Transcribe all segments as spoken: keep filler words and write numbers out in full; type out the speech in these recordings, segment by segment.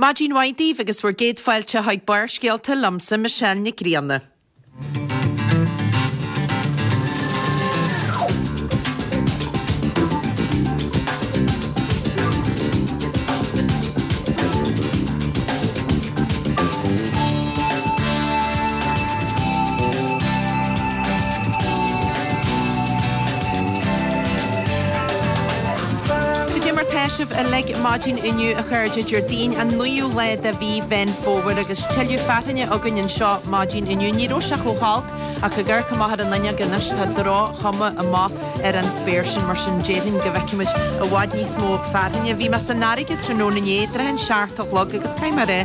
Maidin mhaith daoibh agus bhur gcéad fáilte chuig Barrscéalta liomsa Michelle Nic Grianna. Cad é mar tá sibh uilig maidin inniu a chairde Déardaoin an naoú lá de mhí Mheán Fómhair agus tuilleadh fearthainne againn anseo maidin inniu. Ní raibh sé chomh holc ach ag amharc amach ar an fhuinneog anois tá droch-chuma amach ar an spéir sin mar sin déarfainn go bhfeicfimid i bhfad níos mó fearthainne. Bhí mé san fharraige tráthnóna inné, tráth an seacht a chlog agus caithfidh mé a rá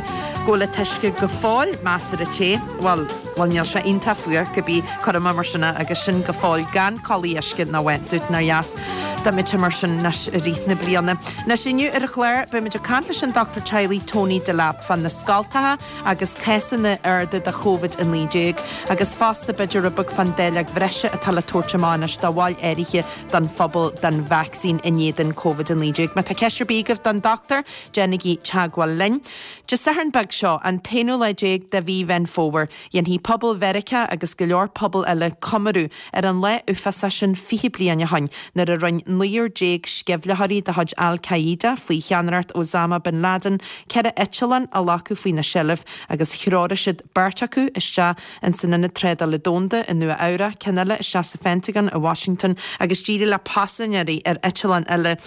go bhfuil an t-uisce go fóill measartha te. Bhuel, bhuel níl sé iontach fuar cibé, cuirfidh mé mar sin é agus sin go fóill gan culaith uisce ná wetsuit nár dheas dá mbeadh sé mar sin anois i rith na bliana. Anois inniu ar an chlár beimid ag caint leis an dochtúir teaghlaigh Tony Delap fá na scoltacha agus cásanna arda de Covid a naoi déag agus fosta b'fhéidir rud beag fán dáileog bhreise atá le tabhairt amach anois do bhaill áirithe den phobal den vacsaín in éadan Covid a naoi déag. Má tá ceist ar bith agaibh don dochtúir, déanaigí teagmháil linn. Dé Sathairn beag seo, an t-aonú lá déag de mhí Mheán Fómhair, dhéanfaidh pobal Mheiriceá agus go leor pobal eile comóradh ar an lá uafásach sin fiche bliain ó shin nuair a rinne naonúr déag sceimhlitheoirí de chuid Al Qaeda faoi cheannaireacht Osama bin Laden ceithre eitleán a ghlacadh faoina seilbh agus threoraigh siad beirt acu isteach in san Ionad Trádála Domhanda i Nua Eabhrac, ceann eile isteach sa Phentagon i Washington agus d'éirigh le paisinéirí ar eitleán eile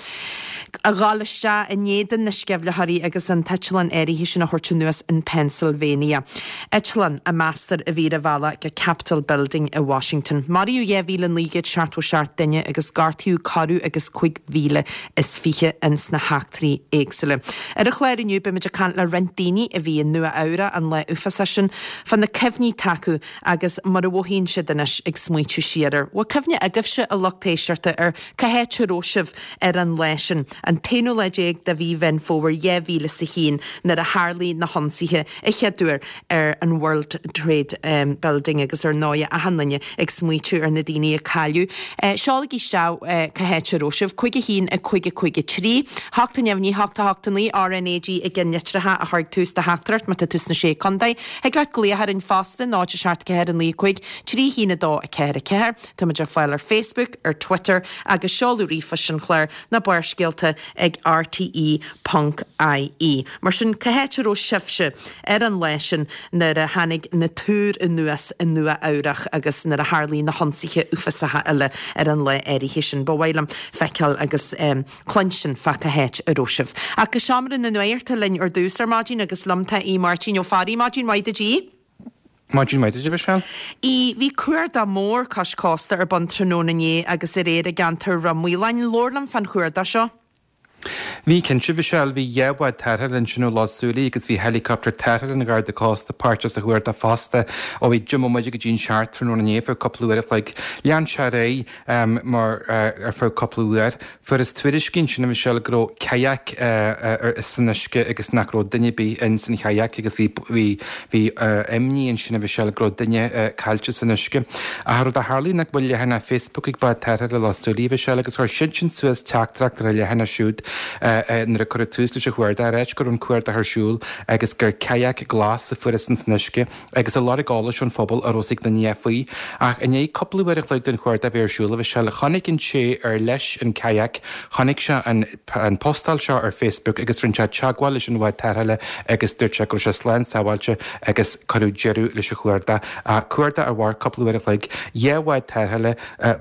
a dhul isteach in éadan na sceimhlitheoirí agus an t-eitleán áirithe sin a thabhairt anuas in Pennsylvania. Eitleán a meastar a bhí ar a bhealach go Capitol Building i Washington. Maraíodh dhá mhíle naoi gcéad seachtó seacht duine agus gortaíodh corradh agus cúig mhíle is fiche ins na heachtraí éagsúla. Ar an chlár inniu beimid ag caint le roinnt daoine a bhí i Nua Eabhrac an lá uafásach sin fá na cuimhní atá acu agus mar a mhothaíonn siad anois ag smaointiú siar air. Bhfuil cuimhne agaibhse a lucht éisteachta ar cá háit a raibh sibh ar an lá sin, an t-aonú lá déag de mhí Mheán Fómhair dhá mhíle is a haon nuair a tharlaigh na hionsaithe a chéaduair ar an World Trade Building agus ar ndóigh achan duine ag smaoitiú ar na daoine a cailleadh. Seolaigí isteach cá háit a raibh sibh, cúig a haon a cúig a cúig a trí, hocht a neamhní hocht a hocht a naoi, RNAG i gceannlitreacha a chur ag tús do theachtaireacht má tá tú sna Sé Contae. Thig leat glaoch orainn fosta, náid a seacht ceathair a naoi cúig trí haon a dó a ceathair a ceathair. Táimid ar fáil ar Facebook, ar Twitter agus seoladh ríomhphoist an chláir ná Barrscéalta ag rte ponc ie. Mar sin, cá háit a raibh sibhse ar an lá sin nuair a tháinig na túir anuas i Nua Eabhrach agus nuair a tharlaigh na hionsaithe uafásacha eile ar an lá áirithe sin? Ba mhaith liom feiceáil agus cluinstin fá cá háit a raibh sibh. Ach go seomra na nuachta linn ar dtús ar maidin agus liom tá Aodh Máirtín Ó Fearraigh. Maidin mhaith duit Aodh. Maidin mhaith duit a Mhichelle. Aodh, bhí cuardach mór cois cósta ar bun tráthnóna inné agus aréir i gceantar Ráth Maoláin. Labhair liom fán chuardach seo. Bhí cinnte, a Mhichelle, bhí dhá bhád tarrthála ansin ó Loch Súilí agus bhí helicopter tarrthála an Gharda Cósta páirteach sa chuardach fosta ó bhí deich mbomaite go dtí an seacht tráthnóna inné ar feadh cúpla uair a chloig. Lean sé ar aghaidh mar ar feadh cúpla uair. Fuarthas tuairiscí ansin, a Mhichelle, go raibh kayak san uisce agus nach raibh duine ar bith in san chayak agus bhí bhí bhí imní ansin, a Mhichelle, go raibh duine caillte san uisce. Ach rud a tharlaigh ná go bhfuil leathanach Facebook ag Bád Tarrthála Loch Súilí, a Mhichelle, agus chuir siadsan suas teachtaireacht ar a leathanach siúd nuair a cuireadh tús leis an chuardach, ag ráit go raibh an cuardach ar siúl agus gur kayak glas a fuarthas in san uisce agus ag lorg eolais ón phobal a raibh a fhios ag duine faoi. Ach i ndiaidh cúpla uair a chloig den chuardach a bheith ar siúl, a Mhichelle, chonaic an té ar leis an kayak, chonaic sé an an postáil seo ar Facebook agus rinne sé teagmháil leis an bhád tarrthála agus dúirt sé go raibh sé slán sábháilte agus cuireadh deireadh leis an chuardach. Cuardach a mhair cúpla uair a chloig, dhá bhád tarrthála,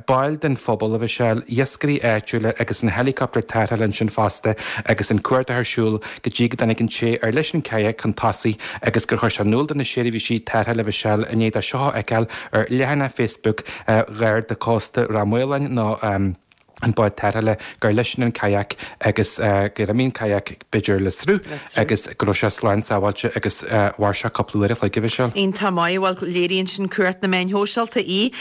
baill den phobal, a Mhichelle, iascairí áitiúla agus an helicopter tarrthála ansin fosta agus an cuardach ar siúl go dtí go dtáinig an té ar leis an kayak chun tosaigh agus gur chuir sé in iúl do na seirbhísí tarrthála a Mhichelle i ndiaidh dó seo a fheiceáil ar leathanach Facebook Gharda Cósta Ráth Maoláin nó an bád tarrthála gur leisean an kayak agus gur imigh an kayak b'fhéidir le sruth agus go raibh sé slán sábháilte agus mhair sé cúpla uair a chloig a Mhichelle. Iontach maith, bhuel léiríonn sin cumhacht na meáin shóisialta í.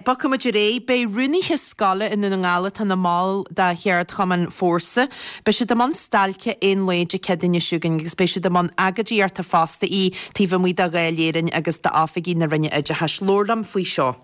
Bogfaidh muid ar aghaidh. Beidh rúnaithe scoile i nDún na nGall atá ina mball de cheardchumann Fórsa, beidh siad i mbun stailce aon lae Dé Céadaoine seo chugainn agus beidh siad i mbun agóidíochta fosta í taobh amuigh de Dháil Éireann agus d'oifigí na Roinne Oideachais. Labhair liom faoi seo.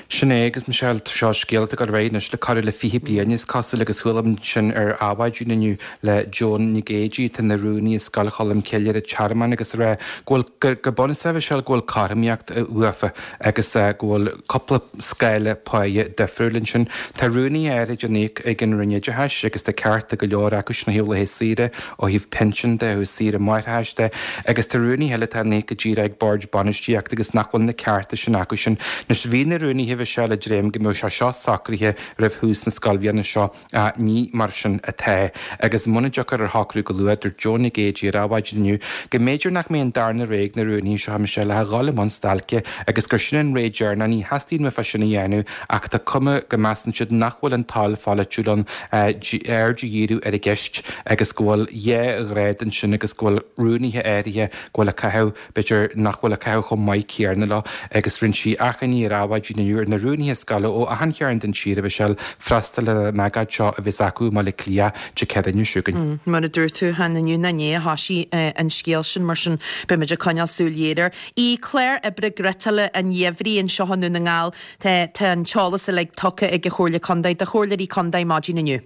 Sin é agus Michelle seo scéal atá ag dul ar aghaidh anois le corradh le fiche bliain is cosúil agus chuala sin ar Adhmhaidin inniu le Joan Nic Géidigh atá ina rúnaí i Scoil Cholm Cille ar an Tearmann agus a rá go bhfuil go bunúsach Michelle go bhfuil cothromaíocht uafa agus go bhfuil cúpla scála páighe difriúil ansin. Tá rúnaithe áirid á n-íoc ag an Roinn Oideachais agus tá cearta go leor acu sin ó thaobh laetha saoire, ó thaobh pinsean de, ó thaobh saoire máithreachais de agus tá rúnaithe eile atá á n-íoc go díreach ag boird bainistíochta agus nach bhfuil na cearta sin acu sin. Anois bhí na rúnaithe Michelle ag dréim go mbeadh sé seo socraithe roimh thús na scoilbhliana seo ach ní mar sin atá. Agus muna dtiocfar ar shocrú go luath, dúirt Joan Nic Géidigh ar Adhmhaidin inniu go mb'fhéidir nach mbeidh an darna ré ag na rúnaithe seo Michelle ach a dhul i mbun stailce agus gur sin an ré deireanach. Ní theastaíonn uafa sin a dhéanamh ach tá cuma go measann siad nach bhfuil an toil pholaitiúil ann aird a dhíriú ar an gceist agus go bhfuil dhá ghrád ansin agus go bhfuil rúnaithe áirithe go bhfuil ag caitheamh, b'fhéidir nach bhfuil ag caitheamh chomh maith céanna leo agus rinne sí achainí ar Adhmhaidin inniu ar na rúnaithe scoile ó achan chearn den tír, a Mhichelle, freastal ar an agóid seo a bheas acu i mBaile Átha Cliath Dé Céadaoine seo chugainn. Mar a dúirt tú, chan inniu ná inné a thoisigh an scéal sin, mar sin beimid ag coinneáil súil ghéar air. I clár oibre griotála an gheimhridh anseo i nDún na nGall, tá an t-eolas uilig tugtha ag an Chomhairle Contae do chomhairleoirí contae maidin inniu.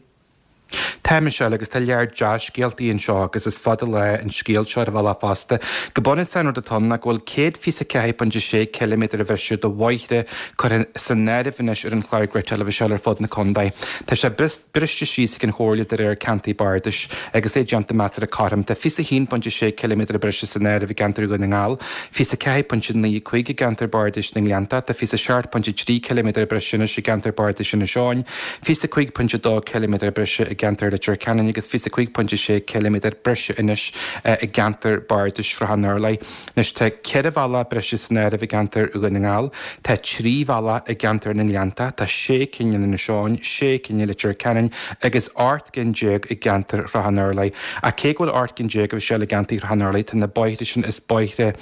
Tá, Michelle, agus tá lear dea-scéaltaí anseo agus is fada lá an scéal seo ar a bhealach fosta. Go bunúsach an rud atá ann ná go bhfuil céad fiche a ceathair pointe sé ciliméadar bhreise de bhóithre curtha san áireamh anois ar an chlár griotála, Michelle, ar fud na contae. Tá sé briste síos ag an Chomhairle de réir ceantair bardais agus é déanta measartha cothrom. Tá fiche a haon pointe sé ciliméadar breise san áireamh i gceantar Dhún na nGall, fiche a ceathair pointe naoi cúig i gceantar bardais na nGleanntach, tá fiche a seacht pointe trí ciliméadar breise anois i gceantar bardais Inis Eoghain, fiche a cúig pointe dó ciliméadar breise i gceantar Leitir Ceanainn agus fiche a cúig pointe sé ciliméadar breise anois i gceantar bardais Shrath an Urláir. Anois tá ceithre bhealach breise san áireamh i gceantar Dhún na nGall, tá trí bhealach i gceantar na nGleanntach, tá sé cinn in Inis Eoghain, sé cinn i Leitir Ceanainn agus ocht gcinn déag i gceantar Shrath an Urláir. Ach cé go bhfuil ocht gcinn déag a Mhichelle i gceantar Shrath an Urláir, tá na bóithre sin, is bóithre,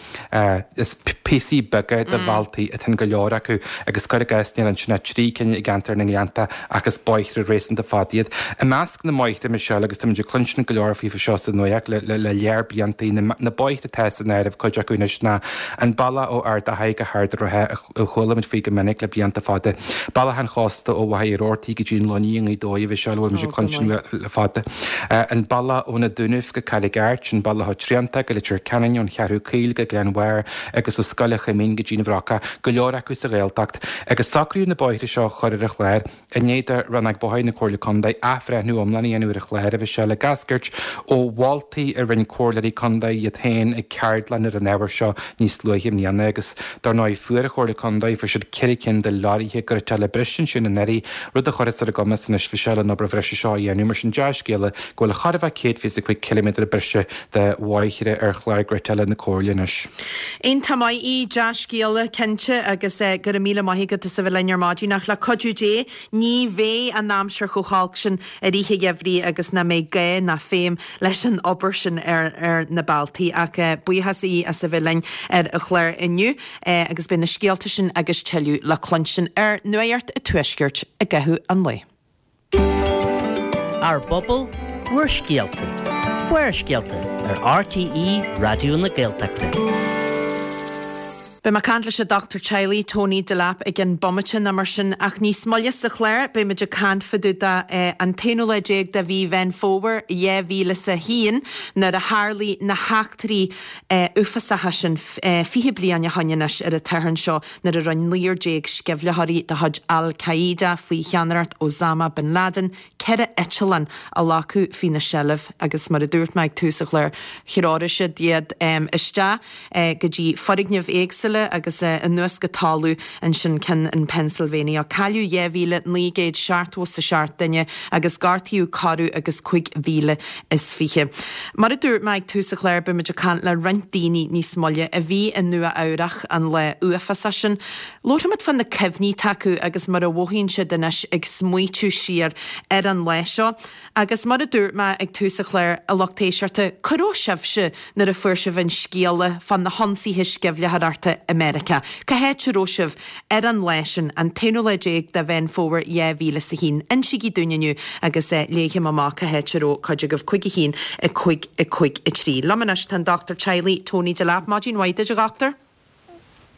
is píosaí beaga de bhealtaí atá in go leor acu agus cuir i gcás níl ansin ach trí cinn i gceantar na nGleannta ach is bóithre réasúnta fada iad. I measc na mbóithre, Michelle, agus táimid ag cluinstin go leor faofa seo sa nuacht le le lear blianta, na bóithre atá san áireamh, cuid acu anois ná an bealach ó Ard Achaidh go hArd an Rátha a chuala muid faoi go minic le blianta fada, bealach an chósta ó Mhachaire Rabhartaigh go dtí an Luinnigh i nGaoth Dobhair, a Mhichelle, a bhfuil muid ag cluinstin le fada, an bealach ó na Dúnaibh go Carraig Airt, an bealach ó Triantach go Leitir Ceanainn, ón Cheathrú Caol go Gleann Bhairr agus ó Scoil an Choimín go dtí an Bhrocach, go leor acu sa Ghaeltacht. Agus socraíodh na bóithre seo a chur ar an chlár i ndiaidh do Rannóg Bóithre na Comhairle Contae athbhreithniú iomlán a dhéanamh ar an chlár, a Mhichelle, ag eascairt ó mholtaí a rinne comhairleoirí contae iad féin ag ceardlann ar an ábhar seo níos luaithe i mbliana. Agus dar ndóigh fuair an Chomhairle Contae, fuair siad ceithre cinn de leoraithe griotála breise ansin anuraidh, rud a chuirfeas ar a gcumas anois, a Mhichelle, an obair bhreise seo a dhéanamh. Mar sin dea-scéala go bhfuil chóir a bheith céad fiche a cúig ciliméadar breise de bhóithre ar chlár griotála na Comhairle anois. Iontach maith í, dea-scéala cinnte agus go raibh míle maith agat as a bheith linn ar maidin ach le cuidiú Dé ní bheidh an aimsir chomh holc sin i rith an gheimhridh agus nach mbeidh gá ná feidhm leis an obair sin ar ar na bealtaí ach buíochas í as a bheith linn ar an chlár inniu agus beidh na scéalta sin agus tuilleadh le cluinstin ar Nuacht an Tuaiscirt i gcaitheamh an lae. Ár bpobal, bhur scéalta. Barrscéalta ar RTÉ Raidió na Gaeltachta. Beidh mé ag caint leis an dochtúir teaghlaigh Tony Delap i gcionn bomaite nó mar sin ach níos moille sa chlár beidh muid ag caint fá dtaobh de an t-aonú lá déag de mhí Mheán Fómhair dhá mhíle is a haon nuair a tharlaigh na heachtraí uafásacha sin fiche bliain ó shoin anois ar an tSatharn seo nuair a rinne naonúr déag sceimhlitheoirí de chuid Al Qaeda faoi cheannaireacht Osama Bin Laden ceithre eitleán a ghlacadh faoina seilbh agus mar a dúirt mé ag tús an chláir threoraigh siad iad isteach go dtí foirgnimh éagsúla agus anuas go talamh ansin ceann in Pennsylvania. Cailleadh dhá mhíle naoi gcéad seachtó is a seacht duine agus gortaíodh corradh agus cúig mhíle is fiche. Mar a dúirt mé ag tús an chláir beidh muid ag caint le roinnt daoine níos moille a bhí i Nua Eabhrach an lá uafásach sin. Labharfaimid fá na cuimhní atá acu agus mar a mhothaíonn siad anois ag smaoitiú siar ar an lá seo. Agus mar a dúirt mé ag tús an chláir, a lucht éisteachta, cá raibh sibhse nuair a fuair sibh an scéala fá na hionsaithe sceimhlitheoireachta i Meiriceá? Cá háit a raibh sibh ar an lá sin, an t-aonú lá déag de Mheán Fómhair dhá mhíle is a haon? Insígí dúinn inniu agus léifidh mé amach cá háit a raibh cuid agaibh, cúig a haon, a cúig, a cúig, a trí. Liom anois tá an dochtúir teaghlaigh Tony Delap. Maidin mhaith duit, a dhochtúir.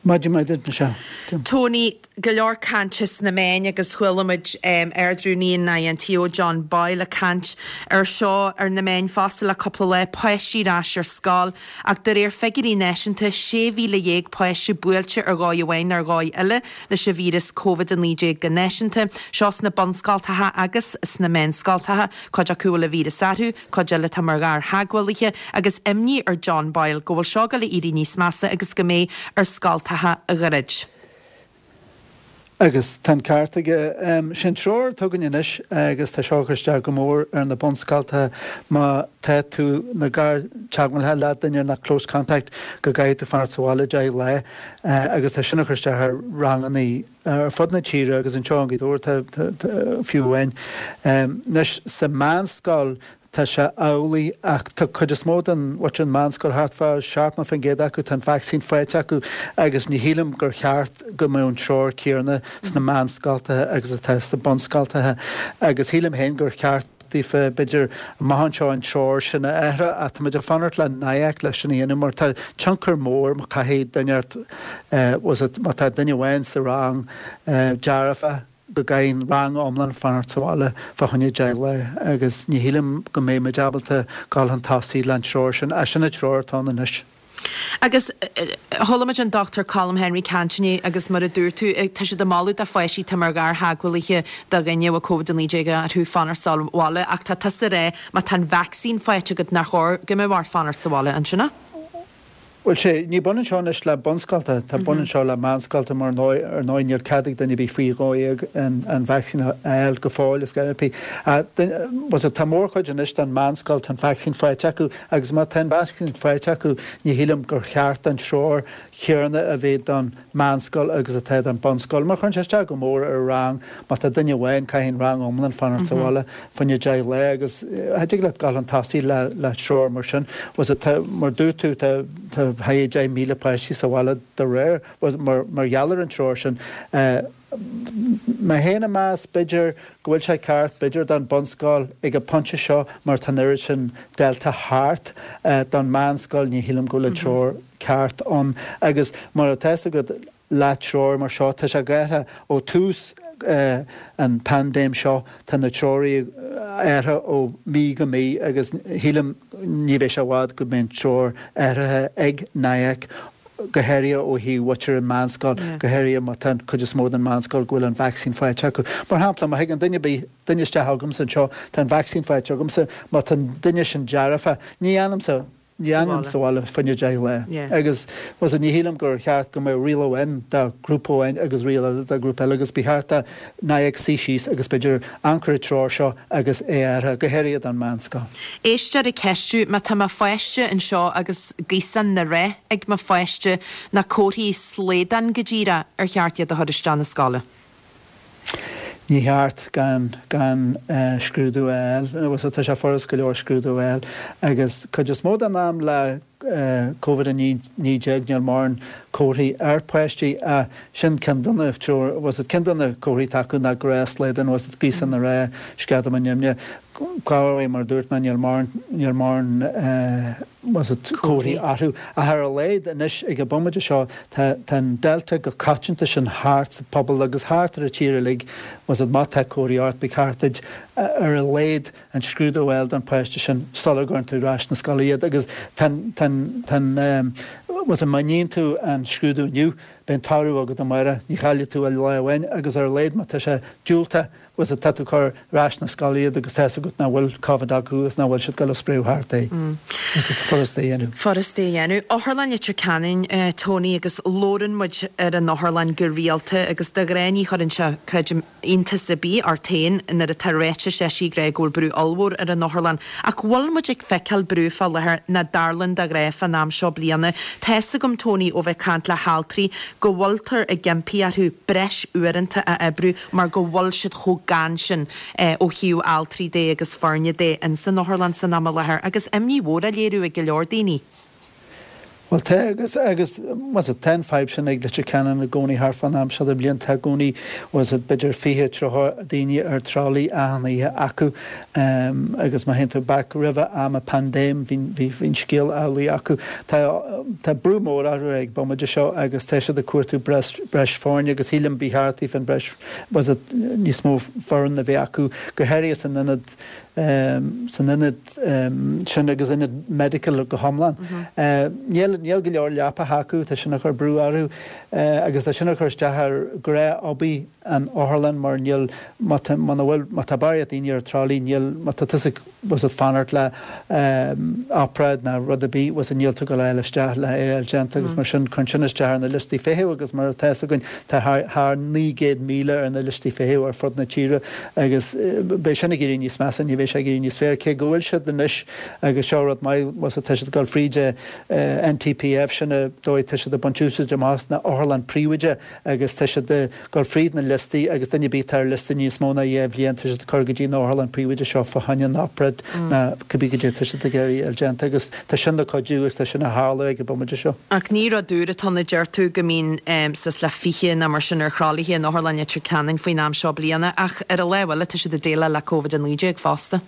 Maidin mhaith duit, Michelle. Tony, go leor cainte sna meáin agus chuala muid Ard-Rúnaí an INTO John Boyle ag caint ar seo ar na meáin fosta le cúpla lá, páistí ar ais ar scoil ach de réir figiúirí náisiúnta sé mhíle dhéag páiste buailte ar dhóigh amháin nó ar dhóigh eile leis an víreas Covid a naoi déag go náisiúnta, seo sna bunscoltacha agus sna meánscoltacha, cuid acu a bhfuil an víreas orthu, cuid eile atá mar ghartheagmhálaithe agus imní ar John Boyle go bhfuil seo ag dul a éirí níos measa agus go mbeidh ar scoltacha a dhruid. Agus tá an ceart aige. Sin treoir atá againn anois agus tá seo ag cur isteach go mór ar na bunscoltacha má tá tú ina gartheagmhálaí le duine nó close contact go gcaithfidh tú fanacht sa bhaile deich lá agus tá sin ag cur isteach ar ranganna ar fud na tíre agus anseo i nGaoth Dobhair fiú amháin. Anois sa meánscoil Tá sé amhlaidh ach tá cuid is mó den mhuintir an meánscoil, thart fá seachtó faoin gcéad acu, tá an vacsaín faighte acu agus ní shílim gur cheart go mbeadh an treoir céanna sna meánscoltacha agus atá sna bunscoltacha agus shílim féin gur cheart daofa b'fhéidir amach anseo an treoir sin a athrú ach tá muid ag fanacht le NIAC leis sin a dhéanamh mar tá tionchar mór má caithfidh duine was it má tá duine amháin sa rang dearfa go gcaithfidh an rang iomlán fanacht sa bhaile fá choinne deich lá agus ní shílim go mbeidh muid ábalta dul chun tosaigh le an treoir sin, ach sin an treoir atá ann anois. Agus chuala muid an Dochtúir Colm Henry caint inné agus mar a dúirt tú, tá siad ag moladh do pháistí atá mar ghartheagmhálaithe do dhuine a bhfuil Covid a naoi déag orthu fanacht sa bhaile ach tá tusa ag rá má tá an vacsaín faighte agat nár chóir go mbeadh ort fanacht sa bhaile, an sin é? Bhuel, sé, ní baineann seo anois le bunscoltacha, tá baineann seo le meánscoltacha mar ar ndóigh níl cead ag duine ar bith faoi dhó dhéag an vacsaín a fháil go fóill is ar bith. Bhuel, tá mórchuid anois den meánscoil, tá an vacsaín faighte acu agus má tá an vacsaín faighte acu ní shílim gur cheart an treoir chéanna a bheith don meánscoil agus atá don bunscoil. Mar chuireann sé isteach go mór ar rang, má tá duine amháin, caithfidh an rang iomlán fanacht sa bhaile fá choinne deich lá agus cha dtig leat dul chun tosaigh le le treoir mar sin. Was it, tá, mar dúirt tú, tá tá thart deich míle páistí sa bhaile de réir, was mar mar gheall ar an treoir sin. Mé féin ag meas, b'fhéidir go bhfuil sé ceart, b'fhéidir don bunscoil ag an bpointe seo mar tá an oiread sin Delta thart, don meánscoil ní shílim go bhfuil an treoir ceart ann agus mar atá fhios agat le treoir mar seo tá sé athraithe ó tús an paindéim seo, tá na treoirí athraithe ó mí go mí agus shílim ní bheidh sé i bhfad go mbeidh an treoir athraithe ag NIAC go háirithe ó thaobh mhuintir an meánscoil, go háirithe má tá an cuid is mó den meánscoil go bhfuil an vacsaín faighte acu. Mar shampla, má thagann duine ar bith, duine isteach chugamsa anseo, tá an vacsaín faighte agamsa, má tá an duine sin dearfa, ní fhanaimse, ní fhanaim sa bhaile fá choinne deich lá. Agus was it, ní shílim gur cheart go mbeadh riail amháin do ghrúpa amháin agus riail eile do ghrúpa eile agus ba cheart do NIAC suí síos agus b'fhéidir amharc ar an treoir seo agus é a athrú, go háirithe don meánscoil. Éisteoir ag ceistiú, má tá mo pháiste anseo agus gaosán na roth ag mo pháiste, na comharthaí slaghdán go díreach, ar cheart iad a chur isteach na scoile? Ní cheart gan gan scrúdú a fháil. Was it, tá sé furast go leor scrúdú a fháil agus cuid is mó den am le Covid a naoi déag níl mórán comharthaí ar pháistí ach sin ceann de na treoir, was it, ceann de na comharthaí atá acu ná gnáthshlaghdán, was it, gaosán na roth, sceadamán nimhe. Cá mar a dúirt mé níl mórán níl mórán was it, comharthaí orthu. Ach ar a laghad anois ag an bomaite seo tá tá an Delta go coitianta sin thart sa pobal agus thart ar an tír uilig, was it, má tá comharthaí ort ba cheart duit ar a laghad an scrúdú a fháil don pháiste sin sula gcuireann tú ar ais na scoile iad agus tá an tá an tá an was it, má níonn tú an scrúdú inniu beidh an toradh agat amárach, ní chaillfidh tú ach lá amháin agus ar a laghad má tá sé diúltach was it, tá tú ag cur ar ais na scoile iad agus tá fhios agat nach bhfuil Covid acu agus nach bhfuil siad ag dul ag spréadh thart é. Was it, furast é a dhéanamh. Furast é a dhéanamh. Otharlann Leitir Ceanainn, Tony, agus labhrann muid ar an otharlann go rialta agus de ghnáth ní chuireann sé, creidim, iontas ar bith ort féin nuair atá ráitis eisithe ag rá go bhfuil brú ollmhór ar an otharlann. Ach bhfuil muid ag feiceáil brú fá láthair nach dtarlaíonn de ghnáth fán am seo bliana? Tá fhios agam, Tony, ó bheith ag caint le haltraí, go bhfuiltear ag impí orthu breis uaireanta a oibriú mar go bhfuil siad chomh gann sin ó thaobh altraí de agus foirne de ins an otharlann san am i láthair agus imní mhór á léiriú ag go leor daoine. Bhuel tá agus agus was it tá an fadhb sin ag Leitir Ceanainn i gcónaí thart fán am seo de bhliain tá i gcónaí was it b'fhéidir fiche tríocha daoine ar tralaí achan oíche acu agus má théann tú back roimhe am an paindéim bhí bhí bhí an scéal amhlaidh acu. Tá tá brú mór orthu ag bomaite seo agus tá siad ag cuartú breis breis foirne agus shílim ba cheart daofa an breis was it níos mó foireann a bheith acu go háirithe san ionad san ionad sin agus ionad medical go hiomlán. Níl níl go leor leapacha acu, tá sin ag cur brú orthu agus tá sin ag cur isteach ar ghnáth-obair an otharlann mar níl má tá muna bhfuil má tá barraíocht daoine ar tralaí níl má tá tusa was it fanacht le obráid ná rud ar bith was it níl tú ag dul a fháil isteach le é a fháil déanta agus mar sin cuireann sin isteach ar na liostaí feithimh agus mar atá fhios againn tá thar thar naoi gcéad míle ar na liostaí feithimh ar fud na tíre agus beidh sin ag éirí níos measa ní bheidh sé ag éirí níos fearr cé go bhfuil siad anois agus seo rud maith was it tá siad ag dul fríd NPTF sin an dóigh tá siad ag baint úsáid amach as na otharlann príobháideach agus tá siad ag dul fríd na liostaí agus duine ar bith atá ar liosta níos mó ná dhá bhliain tá siad ag cur go dtí an otharlann príobháideach seo fá choinne an obráid ná cibé goidé tá siad ag iarraidh a fháil déanta agus tá sin le cuidiú agus tá sin ag tarlú ag an bomaite seo. Ach ní rud úr atá ann a deir tú go mbíonn suas le fiche nó mar sin ar thralaithe in Otharlann Leitir Ceanainn faoin am seo bliana ach ar an lámh eile tá siad ag déileáil le Covid a naoi déag fosta.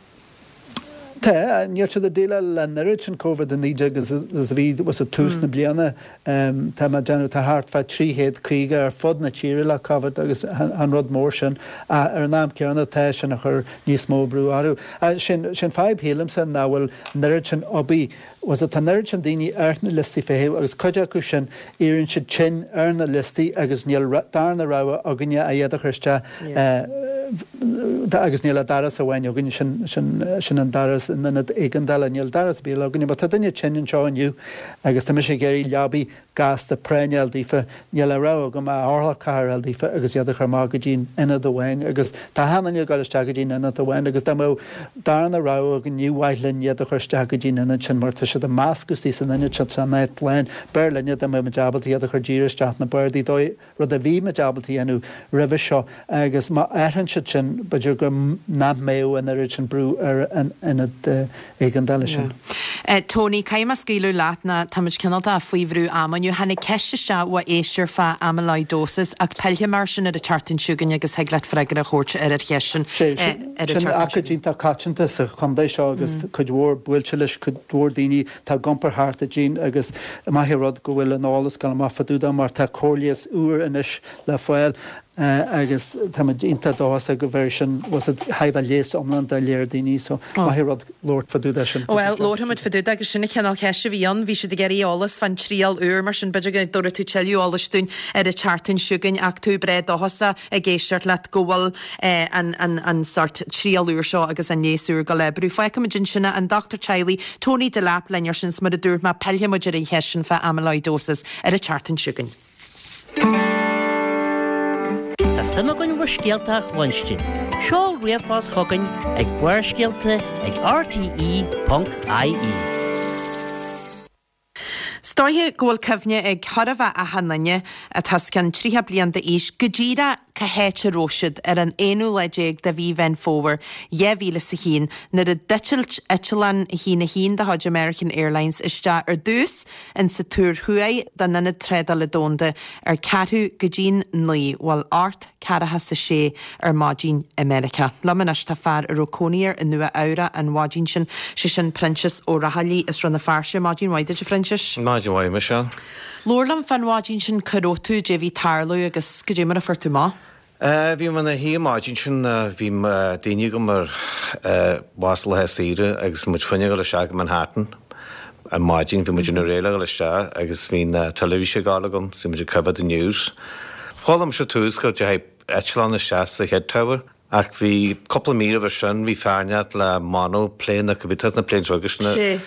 Tá, níl siad ag déileáil le an oiread sin Covid a naoi déag is a bhí was it tús na bliana. Tá mé ag déanamh, tá thart fá trí chéad caoga ar fud na tíre le Covid agus chan rud mór sin ach ar an am céanna tá sin ag cur níos mó brú orthu. Sin an fadhb shílimse nach bhfuil an oiread sin obair was it tá an oiread sin daoine ar na liostaí feithimh agus cuid acu sin éiríonn siad tinn ar na liostaí agus níl darna rogha againne ach iad a chur isteach agus níl ach doras amháin againne, sin, sin, sin an doras in ionad éigeandála, níl doras ar bith eile againne. Má tá duine tinn anseo inniu agus tá mise ag iarraidh leabaí gasta práinne a fháil daofa, níl ach rogha agam ach orlach carr a fháil daofa agus iad a chur amach go dtí an ionad amháin agus tá achan duine ag dul isteach go dtí an ionad amháin agus dá mbeadh darna rogha againn ní mhaith linn iad a chur isteach go dtí an ionad sin mar tá siad ag meascadh istigh san ionad sin san áit lán. B'fhearr linne dá mbeadh muid ábalta iad a chur díreach isteach na bardaí dóigh rud a bhí muid ábalta a dhéanamh roimhe seo agus má athraíonn siad sin b'fhéidir go nach mbeadh an oiread sin brú ar an ionad éigeandála sin. Tony, caithfidh mé scaoileadh leat ná táimid cineál de faoi bhrú ama inniu. Tháinig ceist isteach ó éisteoir fá amyloidosis ach pillfidh mé air sin ar an tseachtain seo chugainn agus thig leat freagra a thabhairt ar an cheist sin Sé ar an sin tseachtain aicíd seo. iontach coitianta sa chontae seo agus cuid mhór buailte leis, cuid mhór daoine atá ag iompar thart i dtinn agus maith an rud go bhfuil an eolas ag dul amach fá dtaobh de mar tá cóir leighis úr anois le fáil agus táimid iontach dóchasach go bhféadfaidh sin was it thaobh a leigheas iomlán do léir daoine so maith an rud labhairt fá dtaobh de sin. Bhuel, labharfaimid fá dtaobh de agus sin an cineál ceiste a bhí ann. Bhí siad ag iarraidh eolas fán triail úr mar sin b'fhéidir go dtabharfaidh tú tuilleadh eolais dúinn ar an tseachtain seo chugainn ach tú breá dóchasach ag éisteacht leat go bhfuil an an an sort triail úr seo agus an leigheas úr ag dul oibriú. Fágfaimid ansin é an dochtúir teaghlaigh Tony Delap linn ar sin 's mar a dúirt mé pillfidh muid ar an cheist sin fá amyloidosis ar an tseachtain seo chugainn. Tá suim againn bhur scéalta a chluinstin. Seol ríomhphost chugainn ag Barrscéalta ag RTE ponc IE. 'S dóiche go bhfuil cuimhne ag chóir a bheith achan duine atá os cionn tríocha bliain d'aois go díreach cá háit a raibh siad ar an aonú lá déag de mhí Mheán Fómhair dhá mhíle is a haon nuair a d'eitil eitleán a haon a haon de chuid American Airlines isteach ar dtús in sa Túr Thuaidh den Ionad Trádála Domhanda ar ceathrú go dtí'n naoi, bhuel ocht ceathracha 's a sé ar maidin i Meiriceá. Liom anois tá fear a raibh cónaí air i Nua Eabhrac an mhaidin sin, sé sin Proinsias Ó Raghallaigh as Rann na Feirste. Maidin mhaith duit a Phroinsiais. Maidin mhaith Michelle. Labhair liom fán mhaidin sin cá raibh tú, goidé bhí ag tarlú agus goidé mar a fuair tú amach. Uh, bhí mé ina shuí an maidin sin uh, bhí uh, daoine agam ar bhas le saoire agus muid fá choinne dul isteach go Manhattan. An maidin bhí muid in réile dul isteach agus bhí na teilifís ag gabháil agam, so muid ag coimhéad the news. Chuala mise tús go dteachaigh eitleán isteach sa chéad tower. Ach bhí cúpla míle sin bhí fear inteacht le monoplane na cibé na planes beaga sin Sé.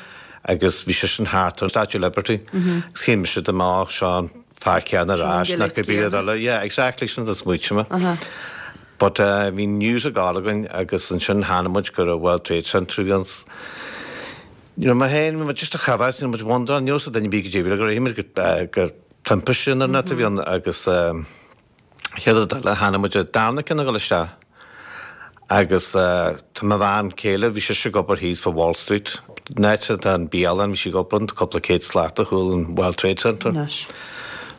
agus bhí sé sin thart ar Statue of Liberty. Agus shíl mise dá mbeadh seo an fear céanna ar ais nach cibé eile. Yeah, exactly sin a smaointigh mé. But uh, bhí news ag gabháil againn agus ansin tháinig muid go raibh World Trade Center bhí ans. You know, ma féin, bhí muid just a chabhas, you know, muid wonder, ní raibh duine bí go dtíbh, gur muid go gur timpiste sin ar net a bhí ann agus um, chéad rud eile tháinig muid ar darna ceann ag dul isteach. Agus uh, tá mo bhean chéile bhí sí ag obair thíos fá Wall Street. An áit atá an bialann, bhí sí ag obair ann, cúpla céad slat ó chúl an World Trade Center. Anois.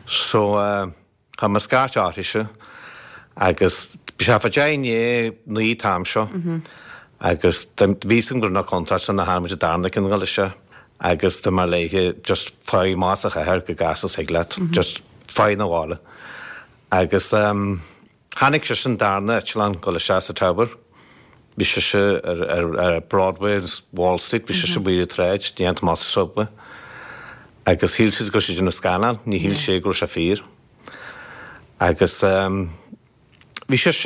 So chuir mé scairt uirthise agus bhí sé fá deich i ndiaidh naoi an t-am seo agus bhí fhios agam go raibh na contúirt ann tháinig muid an darna ceann ag dul isteach agus dúirt mé léithe just faigh amach as an chathair chomh gasta is thig leat, just faigh 'na bhaile. Agus tháinig sise an darna eitleán dul isteach sa tower. Bhí sise ar, ar, ar Broadway agus Wall Street, bhí sise amuigh ar an tsráid, déanta amach sa subway. Agus shíl siad go raibh sé ag déanamh scannán, ní shíl sé go raibh sé fíor. Agus bhí sise,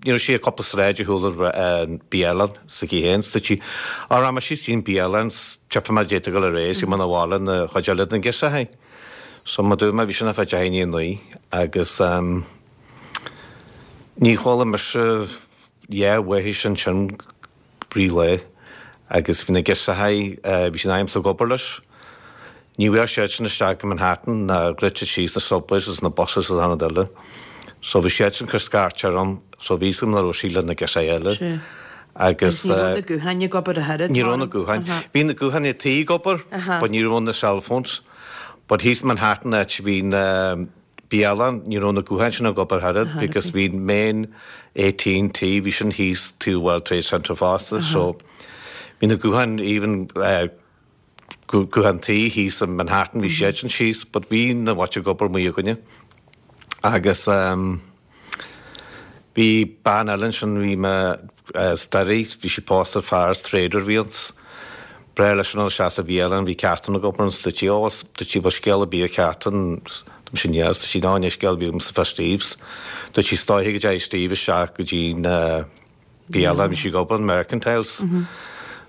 you know, sí a cúpla sráid ar shiúl an bialann sa chaoi féin, 's dúirt sí, á rachaidh mé síos dtí an bialann 's tchífidh mé d'fhéadfadh dul ar aghaidh, 's muna bhfáil na chuid eile den girseach. So mar dúirt mé, bhí sin ar feadh deich i ndiaidh a naoi agus ní chuala mise dhá bhoitheis ansin brí lae agus bhí na girseachaí, bhí siad agamsa ag obair leis. Ní bhfuair siadsan isteach go Manhattan ná dhruid siad síos na subways is na buses is an rud eile. So bhí siadsan cur scairt orm, so bhí fhios agam nach raibh sí le na girseachaí eile. Sea. Agus Ní raibh na gutháin ag obair a thuilleadh, Ní raibh na gutháin. Bhí na gutháin ag tí ag obair, but ní raibh na cell phones. But thíos Manhattan áit bhí na bialann, ní raibh na gutháin sin ag obair thairid because bhí main AT&T, bhí sin thíos to World Trade Center fosta, so bhí na gutháin even uh, guthán tí thíos in Manhattan, bhí siad sin síos, but bhí na bhait ag obair amuigh againne. Agus um, bhí bean eile ansin, bhí mé uh, stairí, bhí sí pósta fear trader bhí ans. Breá leis an isteach sa bhialann, bhí Catherine ag obair ann, dúirt sí, ó, dúirt sí, bhfuil scéal ar bith ar Catherine, dúirt sí, yes, dúirt sí, ná, níl scéal ar bith agam fá Steve's. Dúirt sí, stoiche go dtéigh Steve isteach go dtí na bialann, bhí sí ag obair in Mercantiles.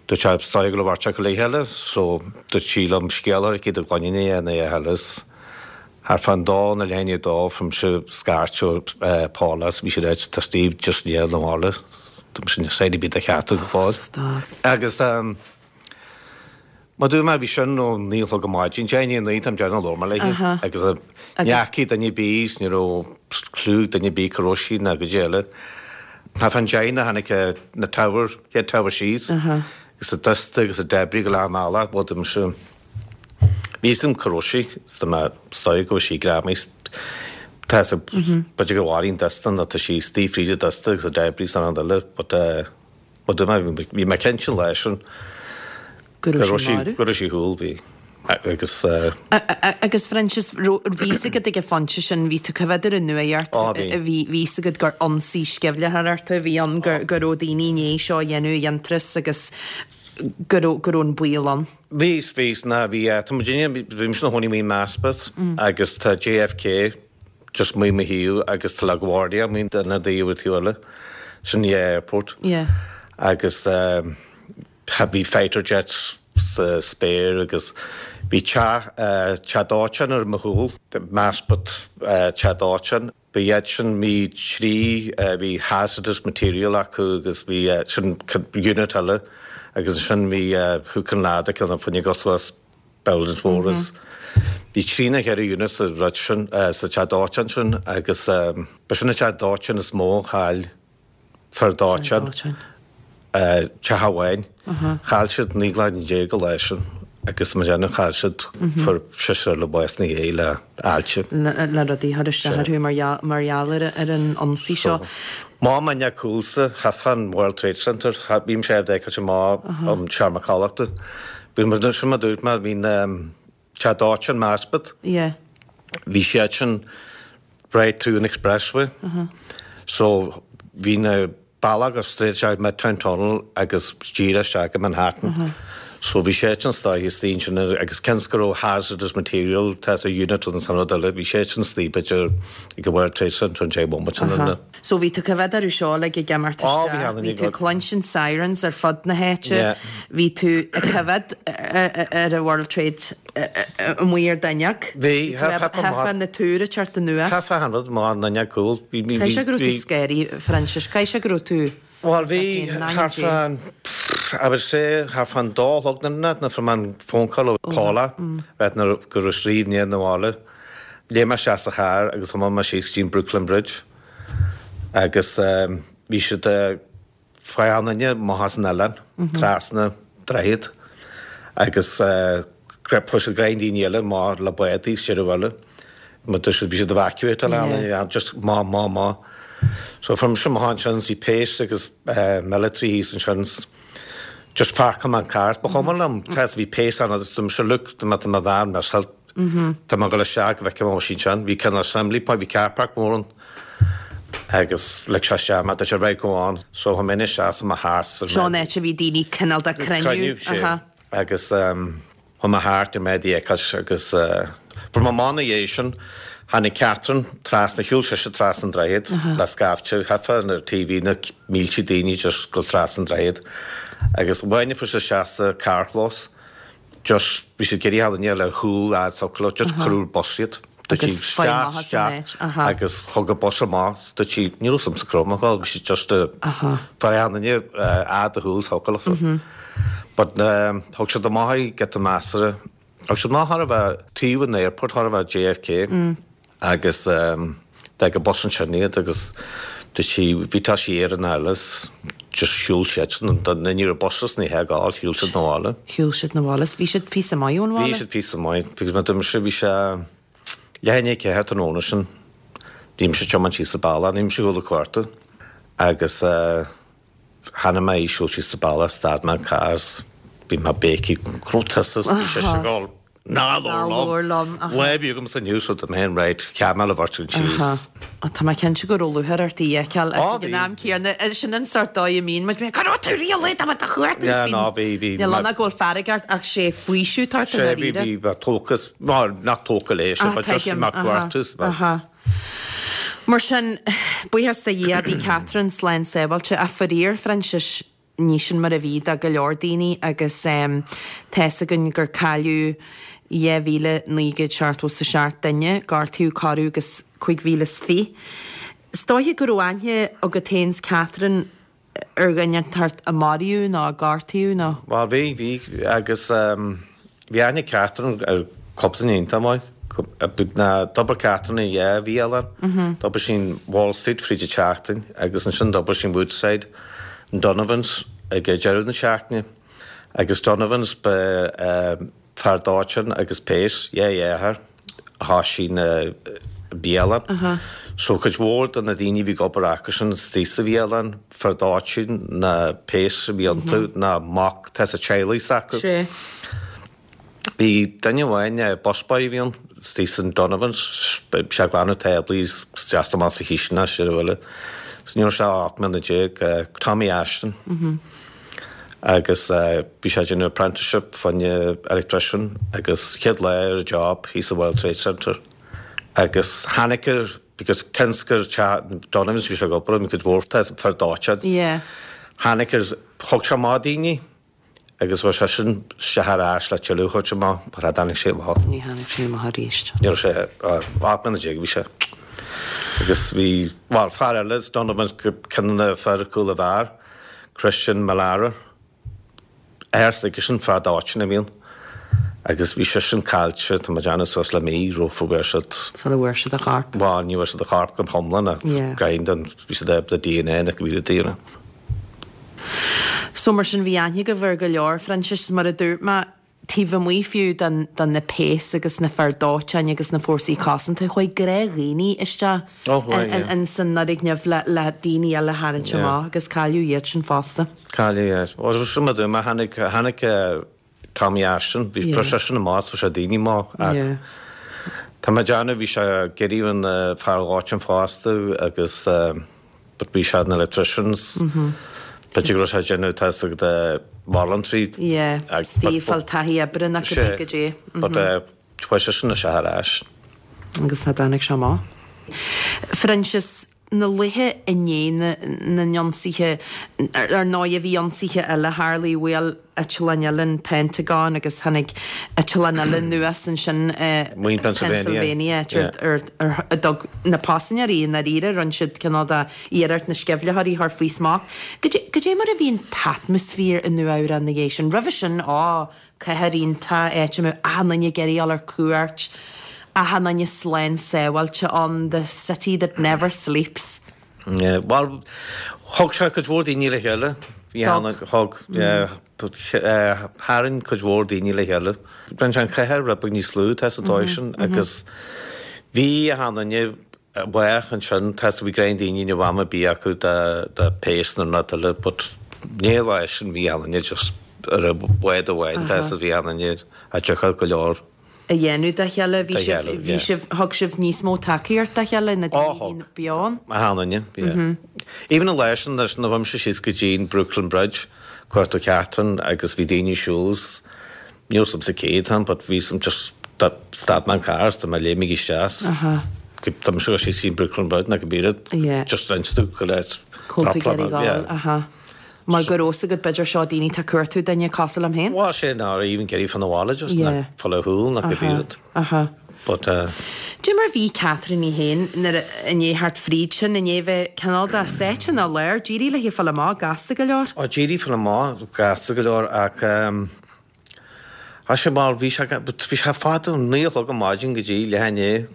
Dúirt sé, stoiche go labhairt go léithe eile, so dúirt sí liom scéal ar chéad a gcloigne é na eile. Thar fan dó na léine dó from se scairt ó Paula, bhí sí reit, tá Steve just ní na bhaile, sin sé bí a cheart go fáil. Stop. Agus um, Má dú mar bhí sin ó naoi a chlog ar maidin, deich i ndiaidh a naoi táim déanamh labhair mé léi agus neachaí duine bís, ní raibh clú duine bí cá raibh sí ná go eile. Tá fan deich na tháinig na tower, chéad tower síos, agus a dust agus a debris go lá mála, bhd se Bhí sam cá raibh sí, tá mé stoi go sí greamaí Tá b'fhéidir go bhfaríonn dusta nó tá sí tí fríde dusta agus a debris san an eile, but bhí mé cinnte leis sin Go raibh sí marbh? go raibh sí thúl bhí agus Agus Francis, bhí fhios agat ag an phointe sin, bhí tú coimhéad ar an nuacht, Á, bhí. bhí bhí fhios agat gur ionsaí sceimhlitheoireachta a bhí ann, gur go raibh daoine i ndiaidh seo a dhéanamh iontais agus go raibh go raibh an baol ann. Bhí bhí ná bhí tá duine bhí na hóí mí Maspeth agus tá JFK just mu mo hiú agus tá LaGuardia mí na daoh tú eile sin the airport. Yeah. Agus um, bhí fighter jets sa spéir agus bhí teach teach dóiteáin ar mo chúl Maspeth teach dóiteáin. Bhí iad sin mí trí bhí hazardous material acu agus bhí sin unit eile agus sin bhí hook and ladder an fuinne goswas buildings mhóras. Bhí trí na ceithre unit sa rud sin sa teach dóiteáin sin agus ba sin an teach dóiteáin is mó chaill fear dóiteáin. Dóiteáin. Teach amháin. Chaill siad naoi lá déag go leis sin agus mar déanamh chaill siad fuair seisear le bás na dhé le ailse. Le le rudaí thar isteach orthu mar gheall- mar gheall ar ar an ionsaí seo. Má man coolsa chafan World Trade Center bhím sé de má um seomra codlata. Bhí mar sin mar dúirt mar bhín teach dóiteáin Maspeth. Yeah. Bhí siad sin right through an expressway. So bhí na bealach agus straight isteach Midtown Tunnel agus díreach isteach go Manhattan. So bhí sé sin stáithe stín sin agus cens go raibh hazardous material tá a unit an san rud eile, bhí sé sin stí b'fhéidir ag go World Trade Center an sé bomat sin Aha. So bhí tú coimhéad orthu seo le ag imeacht Á, bhí isteach, ann bhí ag tú go- cluinstin sirens ar fud na háite, Yeah. bhí tú ag coimhéad ar a World Trade amuigh ar d'fhuinneog. Bhí, Hefa na túir teart anuas. Ceatha hand má na cool. Caithfidh sé go raibh tú scary, Francis, caithfidh sé go raibh tú Well, bhí Fucking nine thar fan I would say thar fan dá chlog na na from an phone call ó Paula bheit na go raibh Steve ní na bhaile. Léim mé isteach sa charr agus thiomáin mé síos dtí Brooklyn Bridge. Agus um, bhí siad uh, fáananne má an eile trasna droichead. Agus fuair siad greim daoine eile mar le bádaí is sir bhile. Mar dúirt siad bhí siad evacuate yeah. just má má má. So from sin amach ansin bhí péas agus military thíos ansin just pháirceáil mé an carr. Ba chuma liom tá bhí péas ann agus dúirt mise look tá mé mo bhean mar tá mé ag dul isteach go bhfeicfidh mé sin sin. Bhí cineál assembly point, bhí car park mór ann agus lig sé isteach mé, dúirt sé right go on. So chuaigh mé isteach sa mo thart. Seo an áit a bhí daoine cineál de cruinniú. Cruinniú, Agus chuaigh mé thart ar mé d'fhéachas agus fuair mé amach ina dhiaidh sin, tháinig Catherine trasna, shiúil sise trasna an droichead le scaifte, theifeadh ar T V na mílte daoine just dul trasna an droichead. Agus amháin a fuair siad isteach sa carrchlós, just bhí siad ag iarraidh duine le shúil fhad socair, just cuireadh bus iad. Dúirt sí isteach, isteach agus thug an bus amach, dúirt sí, ní raibh agamsa cá raibh mé ag dul, bhí siad just fear duine fhad a shúil socair. But thug siad amach í giota measartha, thug siad amach thar a bheith taobh an airport, thar a bheith J F K agus d'fhág an bus ansin iad agus dúirt sí, bhí tá sí ar an eile just shiúil siad, ní raibh bus ní hé gáil, shiúil siad na bhaile. Shiúil siad na bhaile, bhí siad píosa maith ón bhaile? Bhí siad píosa maith, because mar dúirt bhí sé leath i ndiaidh a ceathair tráthnóna sin, bhí mise ag tiomáint síos sa bealach, ní mise chuala cuarta agus tháinig mé siúl síos sa bealach, stad mé an carr, bhí mé béicigh, go raibh tusa, bhí sé ag gabháil Ná labhair liom. Lá bhí agam san news the main right, cheap mé le bheirt síos. Tá mé cinnte go raibh lúcháir ort í a fheiceáil ag an am céanna sin an sort dóigh a mbíonn muid cá raibh tú riamh tá do chuart ná bhí bhí Níl ann go bhfuil fearg ort ach sé faoiseamh ort Sé bhí bhí bhí tógas nach tóca léis but just mar cuartus. Mar sin buíochas do Dhia bhí Catherine slán sábháilte a faraor Francis ní sin mar a bhí do go leor daoine agus um, tá a fhios againn gur cailleadh dhá mhíle naoi gcéad seachtó sa seacht duine, gortaíodh corradh agus cúig mhíle is fiche. Is dóiche go raibh aithne agat féin 's Catherine ar dhuine thart a maraíodh nó a gortaíodh nó? Well bhí bhí agus um, bhí aithne Catherine ar cúpla duine iontach maith. Na d'obair Catherine i dhá bhialann, d'obair sí in Wall Street fríd an tseachtain agus ansin d'obair sí in Woodside in Donovan's ag deireadh na seachtaine. Agus Donovan's ba uh, fear dóiteáin agus péas, dhá dheartháir a thosaigh na bialann. So cuid mhór de na daoine bhí ag obair acusan istigh sa bhialann, fear dóiteáin na péas a bhí iontu na mac tá sa teaghlaigh s'acu. Sé. Bhí duine amháin busboy a bhí ann istigh san Donovan's, sé ag glanadh táblaí isteach amach sa chistin sé bhfuile. Ní raibh sé ocht mbliana déag Tommy Ashton. Agus bhí sé déanamh apprenticeship fá choinne electrician agus chéad lá ar a job thíos sa World Trade Center. Agus tháinig air because cionn gur Donovan's bhí sé ag obair an cuid mhór fear dóiteáin. Yeah. Tháinig air thug sé amach daoine agus bhí sé sin se thar ais le tuilleadh chuid amach, mar a tháinig sé amach. Ní tháinig sé amach arís. Ní raibh sé ocht mbliana déag bhí sé. Agus bhí well, fear eile Donovan ceann na fear cúl a bhear, Christian Malara. Éirsta sin fear dóiteáin a bhí ann. Agus bhí sé sin caillte tá déanamh suas le mí rofa bhfuair siad Sula bhfuair siad a chorp. Bhuel ní bhfuair siad a chorp go hiomlán Yeah. gain den bhí siad de D N A na go bhí D N A. So mar sin bhí aithne agaibh ar go leor Francis mar a dúirt mé taobh amuigh fiú den, den na péas agus na fear dóiteáin agus na fórsaí cosanta chuaigh gnáthdhaoine isteach Ó, chuaigh, yeah. in san fhoirgneamh le, le daoine eile tharraingt Yeah. amach agus cailleadh iad sin fosta. Cailleadh sin mar dúirt mé tháinig tháinig Tommy Ashton, bhí Yeah. sé sin amach sé daoine má Yeah. Tá mé déanamh bhí sé geirí an fear dóiteáin fosta agus but bhí sé na electricians. B'fhéidir go raibh sé déanamh tá de voluntary. Yeah, Ag- Steve but- fáil taithí oibre na go Sé, go dé. But chuaigh sé sin sé thar ais. Agus tá tháinig sé amach. Francis na laetha i ndiaidh na na n-ionsaithe ar ndóigh bhí ionsaithe eile tharla bhuail eitleán eile an Pentagon agus tháinig eitleán eile anuas ansin Maoin Pennsylvania. Pennsylvania Yeah. ar ar a dtug na paisinéirí na ríre rinne siad cineál de iarracht na sceimhlitheoirí a chur faoi smacht. Cad é mar a bhí an t-atmaisféar i Nua-Eabhrac na dhiaidh sin. Roimhe sin á cathair iontach áit a ndaoine ag iarraidh ar cuairt achan duine slán sábháilte an the city that never sleeps. Yeah, well, thug sé cuid mhór daoine le chéile. Bhí Thug. ann thug Tharraing cuid mhór daoine le chéile. Rinne sé an chathair rud beag níos lú, tá sa dóigh sin, agus bhí achan duine bhuíoch ansin, tá bhí greim daoine ní raibh am ar bith acu do péas nó rud eile, but ní lá sin bhí achan duine just ar bhád amháin, tá bhí achan duine a dtiocfadh go leor. a dhéanamh dá chéile, bhí sibh, bhí sibh, thug sibh níos mó tacaíocht dá chéile na daoine a bhí beo ann? Achan duine, yeah. Even an lá sin, nuair a bhí mise síos go dtí an Brooklyn Bridge, cuartú Catherine agus bhí daoine siúl ní raibh sa céad ann, but bhí some just stad mé an carr is tá mé léimigh isteach. Tá mise síos an Brooklyn Bridge na go bíad just instu go le Cúlta ag aha. Mar go raibh agat b'fhéidir seo daoine tá cuartú duine cosúil liom féin? Well sé ná even getting fan na bhaile just na fáil thúl na go bíad. Aha. But uh, Dé mar bhí Catherine í féin nuair i ndiaidh theacht fríd sin i ndiaidh bheith cineál de sáite ina lár, d'éirigh léi fáil amach gasta go leor? Ó d'éirigh fáil amach gasta go leor ach um, Tá sé mar bhí sé bhí sé fada naoi a chlog an maidin go dtí leath i ndiaidh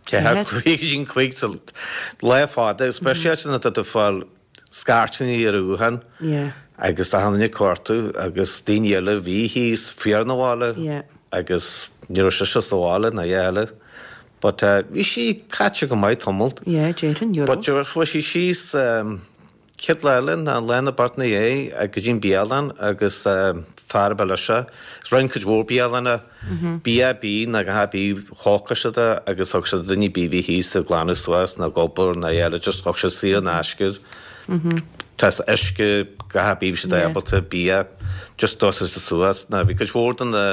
ceathair cúig go dtí cúig lá fada, speisialta nuair atá tú fáil scairteanna ar an ghuthán agus achan duine ag cuartú agus daoine eile bhí thíos fíor na bhaile agus ní raibh sise sa bhaile ná eile. But uh, bhí sí caite go maith tamall. Yeah, déarfainn, euro. But chuaigh sí síos um, chéad lá eile ná lá na Bart na dhé go dtí an bialann agus fear ab ea leis. Rinne cuid mhór bialanna bia bí na go bí thógfadh siad é agus thug siad duine bí bhí thíos ag glanadh suas nó ag obair nó eile just thug siad saor in aisce. Tá uisce go bí siad ábalta bia just dosas suas na bhí cuid mhór den na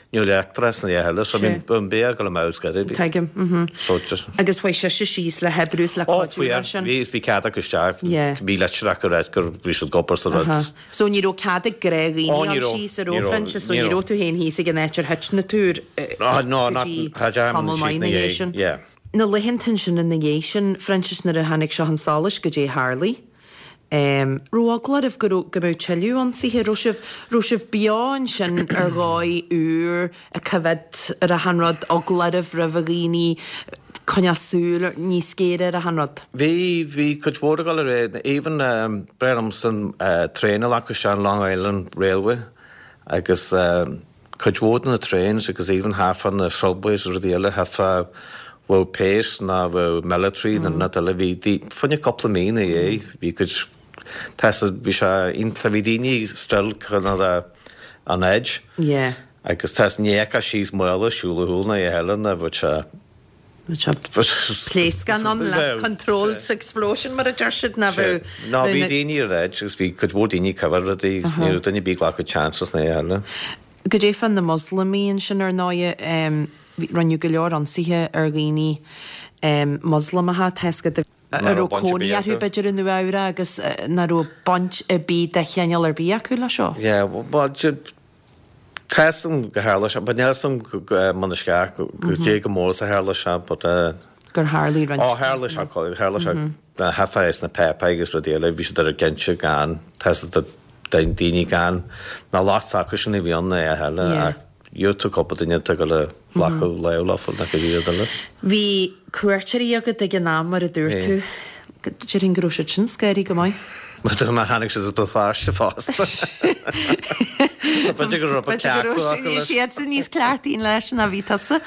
Ní leictreachas na eile so bhí an bia go le mouse go Tuigim. So just Agus chuaigh sise síos le hoibriú is le Ó cuidiú mar sin. Bhí bhí cead acu isteach Yeah. bhí leitir acu rá gur bhí siad ag obair sa rud. So ní raibh cead ag gnáthdhaoine Ó, ní ann raibh, síos ar ní raibh, Fhraincis, so ní ní raibh. raibh tú féin thíos ag an áit ar thit na túir No, no, go not- dtí cha dearna tamall síos maith na ina dhiaidh dhiaidh, sin. yeah. Na laethanta sin ina dhiaidh sin, Fhraincis nuair a tháinig seo chun solais goidé tharlaigh. Um, raibh eagla oraibh go raibh- go mbeadh tuilleadh ionsaithe, raibh sibh raibh sibh beo ansin ar dhóigh úr ag coimhéad ar achan rud, eagla oraibh roimh a dhaoine coinneáil súil níos géire ar achan rud. Bhí bhí cuid mhór ag dul ar aghaidh, even um, breith san uh, traein a leath an Long Island Railway agus um, cuid mhór de na trains agus even half on the subways agus rudaí eile half bhfuil péas ná bhfuil military na nut eile bhí dí- fuinne cúpla mí na é bhí cuid tá bhí sé iontach bhí daoine still kind of on edge Yeah. agus tá ní fheiceá síos maola siúl na eile na bhfuil sé Pléascán ann le controlled explosion mar a deir siad na bheith Ná bhí daoine ar edge agus bhí cuid mhór daoine cover rudaí ní raibh duine bí glacadh chances na eile. Goidé fá na Moslamaigh ansin ar ndóigh rinneadh go leor ionsaithe ar dhaoine um, Moslamacha tesca a raibh cónaí orthu b'fhéidir i Nua Eabhrac agus nach raibh baint ar bith de chineál ar bith acu le seo. Yeah, well, tá go tharla sé, but níl sam man sceach go dé go mór sa tharla sé, but gur tharlaigh roinnt. Ó tharla sé tharla sé na hafáis na pepa agus rudaí eile bhí siad ar ginte gan tá daoine gan na lá acu sin a bhí ann na eile ach tú cúpla duine go le glacadh le na go bhí eile. Bhí cuairteoirí agat ag an am mar a dúirt tú. Déarfainn go raibh siad sin scary go maith. Ma tháinig siad ba fearste fásta. B'fhéidir go raibh B'fhéidir siad san níos cleachtaí leis ná bhí tusa.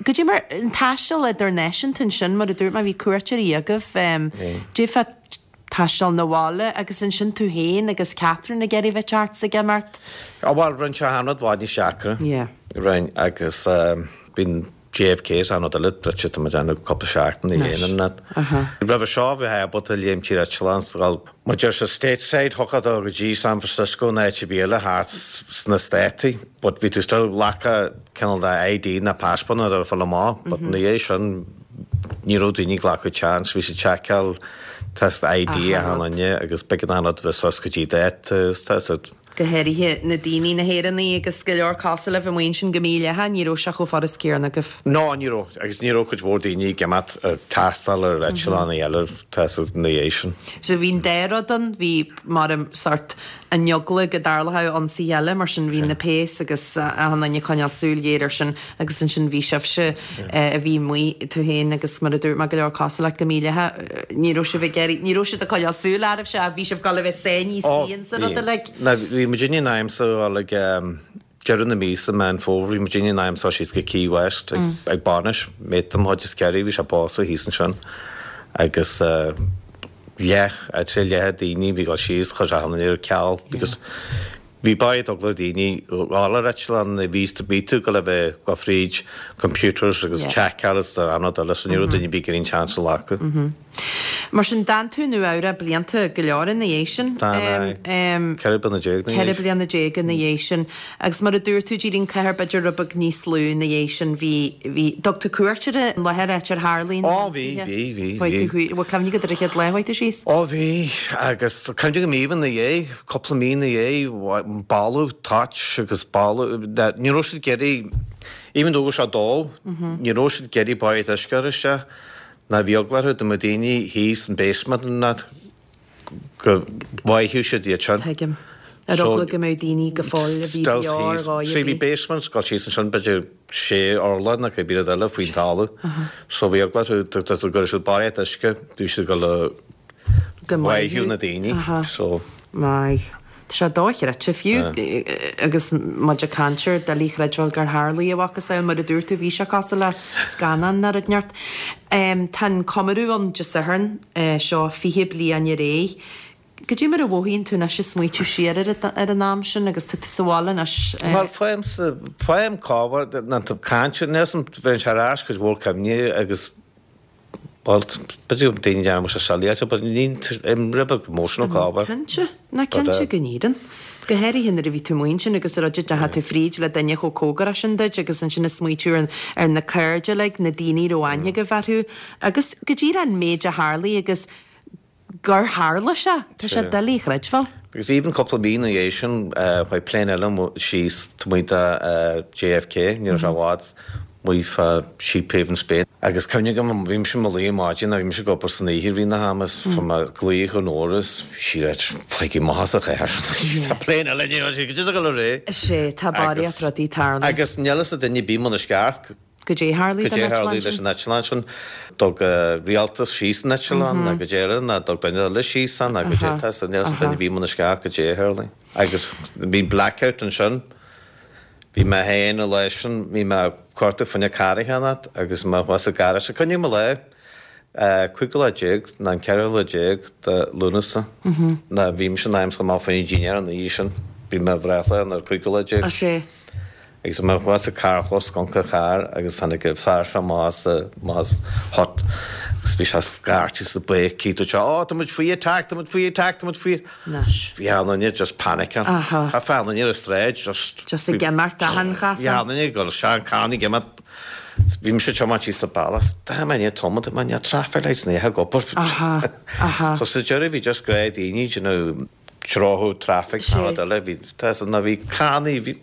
Goidé mar an taisteal idirnáisiúnta sin mar a dúirt mé bhí cuairteoirí agaibh goidé fá taisteal na bhaile agus ansin tú féin agus Catherine ag iarraidh bheith thart ag imeacht. Á bhuel rinne sé an rud i bhfad níos deacra. Yeah. Rinne agus bíonn JFK is an rud eile druidte tá muid ann cúpla seachtain a dhéanamh net. Roimhe seo bhí ábalta léim tír eitleán sa ghal mar deir sé stateside thiocfadh dó go dtí San Francisco nó áit ar bith eile thart sna Státaí but bhí tú still glacadh cineál de ID na passport nó a fáil amach but ina dhiaidh sin ní raibh daoine ag glacadh chance bhí siad seiceáil test ID achan duine agus b'éigean an rud bheith suas go dtí dáta tá Go háirithe na daoine, na hÉireannaigh agus go leor cosúil libh amuigh ansin go míleata, ní raibh sé chomh furast céanna agaibh. No, ní raibh, agus ní raibh cuid mhór daoine ag imeacht ar taisteal ar eitleáin eile ina dhiaidh sin. So bhí an dá rud ann, bhí mar sort an eagla go dtarlódh ionsaí eile, mar sin bhí na péas agus achan duine ag coinneáil súil ghéar air sin agus ansin bhí sibhse a bhí amuigh, tú féin agus mar a dúirt mé go leor cosúil leat go míleata, ní raibh sibh ag iarraidh, ní raibh siad ag coinneáil súil oraibhse ach bhí sibh ag dul a bheith sáinnithe istigh insa rud uilig. Bhí muidinne in ainm is a dhul ag deireadh na míosa, Meán Fómhair, bhí muidinne in ainm is a dhul síos go Key West ag bainis, mate de mo chuid is Kerry, bhí sé ag pósadh thíos ansin agus leath, I'd say leath daoine bhí ag dul síos, chuir achan duine ar ceal because bhí barraíocht eagla ar daoine dhul ar eitleán, bhí bhí tú ag dul a bheith ag dul fríd computers agus checkáil is an rud eile so ní raibh duine ar bith ag iarraidh an chance a ghlacadh. Mar sin, d'fhan tú i Nua Eabhrac blianta go leor ina dhiaidh sin. D'fhan, aye. Ceithre bliana déag ina dhiaidh. Ceithre bliana déag ina dhiaidh sin. Agus mar a dúirt tú, d'éirigh an cathair b'fhéidir rud beag níos lú ina dhiaidh sin. Bhí, bhí, dtug tú cuairt ar an láthair áit ar tharlaigh na Ó, bhí, bhí, bhí, bhí. Bhfuil cuimhne agat ar an chéad lá a chuaigh tú síos? Ó, bhí, agus cuimhne agam even ina dhiaidh, cúpla mí ina dhiaidh, boladh toit agus boladh, ní raibh siad ag iarraidh, even though go raibh sé dubh, ní raibh siad ag iarraidh barraíocht uisce a chur isteach. Ná bhí eagla orthu dá mbeadh daoine thíos in basement and that go bhfaigheadh siad iad sin. Tuigim. Ar eagla go mbeadh daoine go fóill a bhí beo ar dhóigh ar bith. Bhí basements ag dul síos ansin b'fhéidir sé urlár nó cibé rud eile faoin talamh. So bhí eagla orthu dá gcuirfeadh siad barraíocht uisce bhí siad ag dul a Go bháitheadh na daoine. So. Maith. Tá sé dochreidte fiú agus muid ag caint air, doiligh a chreidbheáil gur tharlaigh a mhacasamhail, mar a dúirt tú, bhí sé cosúil le scannán nó rud inteacht. Tá an comóradh ann Dé Sathairn seo fiche bliain ar éigh. Cad é mar a mhothaíonn tú anois ag smaoitiú siar ar an am sin agus tá tú sa bhaile anois? Bhuel, faighimse, faighim cabhair, ná tú caint, níl 'fhios a'm, bheireann sé ar ais cuid mhór cuimhní agus Bhuel, b'fhéidir go daoine dearna sé silly but ní rud beag emotional cá Cinnte, ná cinnte go n-éireann. Go háirithe nuair a bhí tú amuigh ansin agus a rud a deachaigh tú fríd le duine chomh cóngarach sin duit agus ansin ag smaoitiú ar ar na cairde uilig, na daoine a raibh aithne agaibh orthu agus go díreach an méid a tharlaigh agus gur tharla sé. Tá sé doiligh a chreidbheáil. Because even cúpla mí ina dhiaidh sin, chuaigh plane eile síos taobh amuigh de JFK, ní raibh sé i bhfad amuigh fá Sheephaven Bay. Agus cuimhne agam, bhí mise i mo luí ar maidin, bhí mise ag obair san oíche i rith na hama is fuair mé glaoch ón Nóra is bhí sí ag ráit, Faighigí amach as an chathair sin, tá plane eile inniu, go dtí go raibh. Is é, tá barraíocht rudaí ag tarlú. Agus níl fhios ag duine ar bith amuigh i ndeisceart Goidé tharlaigh don eitleán sin? leis an eitleán sin? Dtug rialtas síos an eitleán nó goidé eile nó dtug duine eile síos an nó goidé tá so níl fhios ag duine ar bith amuigh i ndeisceart goidé a tharlaigh. Agus bhí blackout ansin. Bhí mé féin an lá sin, bhí mé ag cuartú fá choinne carr a cheannacht agus mé thuas sa garáiste. Cuimhním an lá, cúigiú lá déag nó an ceathrú lá déag de Lúnasa ná bhí mise in ainm is a ghabháil amach fá choinne dinnéar an oíche sin. Bhí mo bhreithlá ar an cúigiú lá déag. Agus mé thuas sa carrchlós ag amharc ar charr agus tháinig an fear seo amach as amach as hut agus bhí sé ag scairteadh is ag béicíl dúirt sé Ó tá muid faoi attack, tá muid faoi attack, tá muid faoi Anois. Bhí achan duine just panicking. Aha. Tá achan duine ar an stráid just Just ag imeacht achan chasán. Bhí achan duine ag dul isteach an carr ag imeacht. Bhí mise ag tiomáint síos an bealach is tá mé i ndiaidh tiomáint, tá mé i ndiaidh traffic lights ní ag obair. Aha, aha. So sa deireadh bhí just gnáth daoine you know treothú traffic Sé. nó rud eile bhí tá san bhí cannaí bhí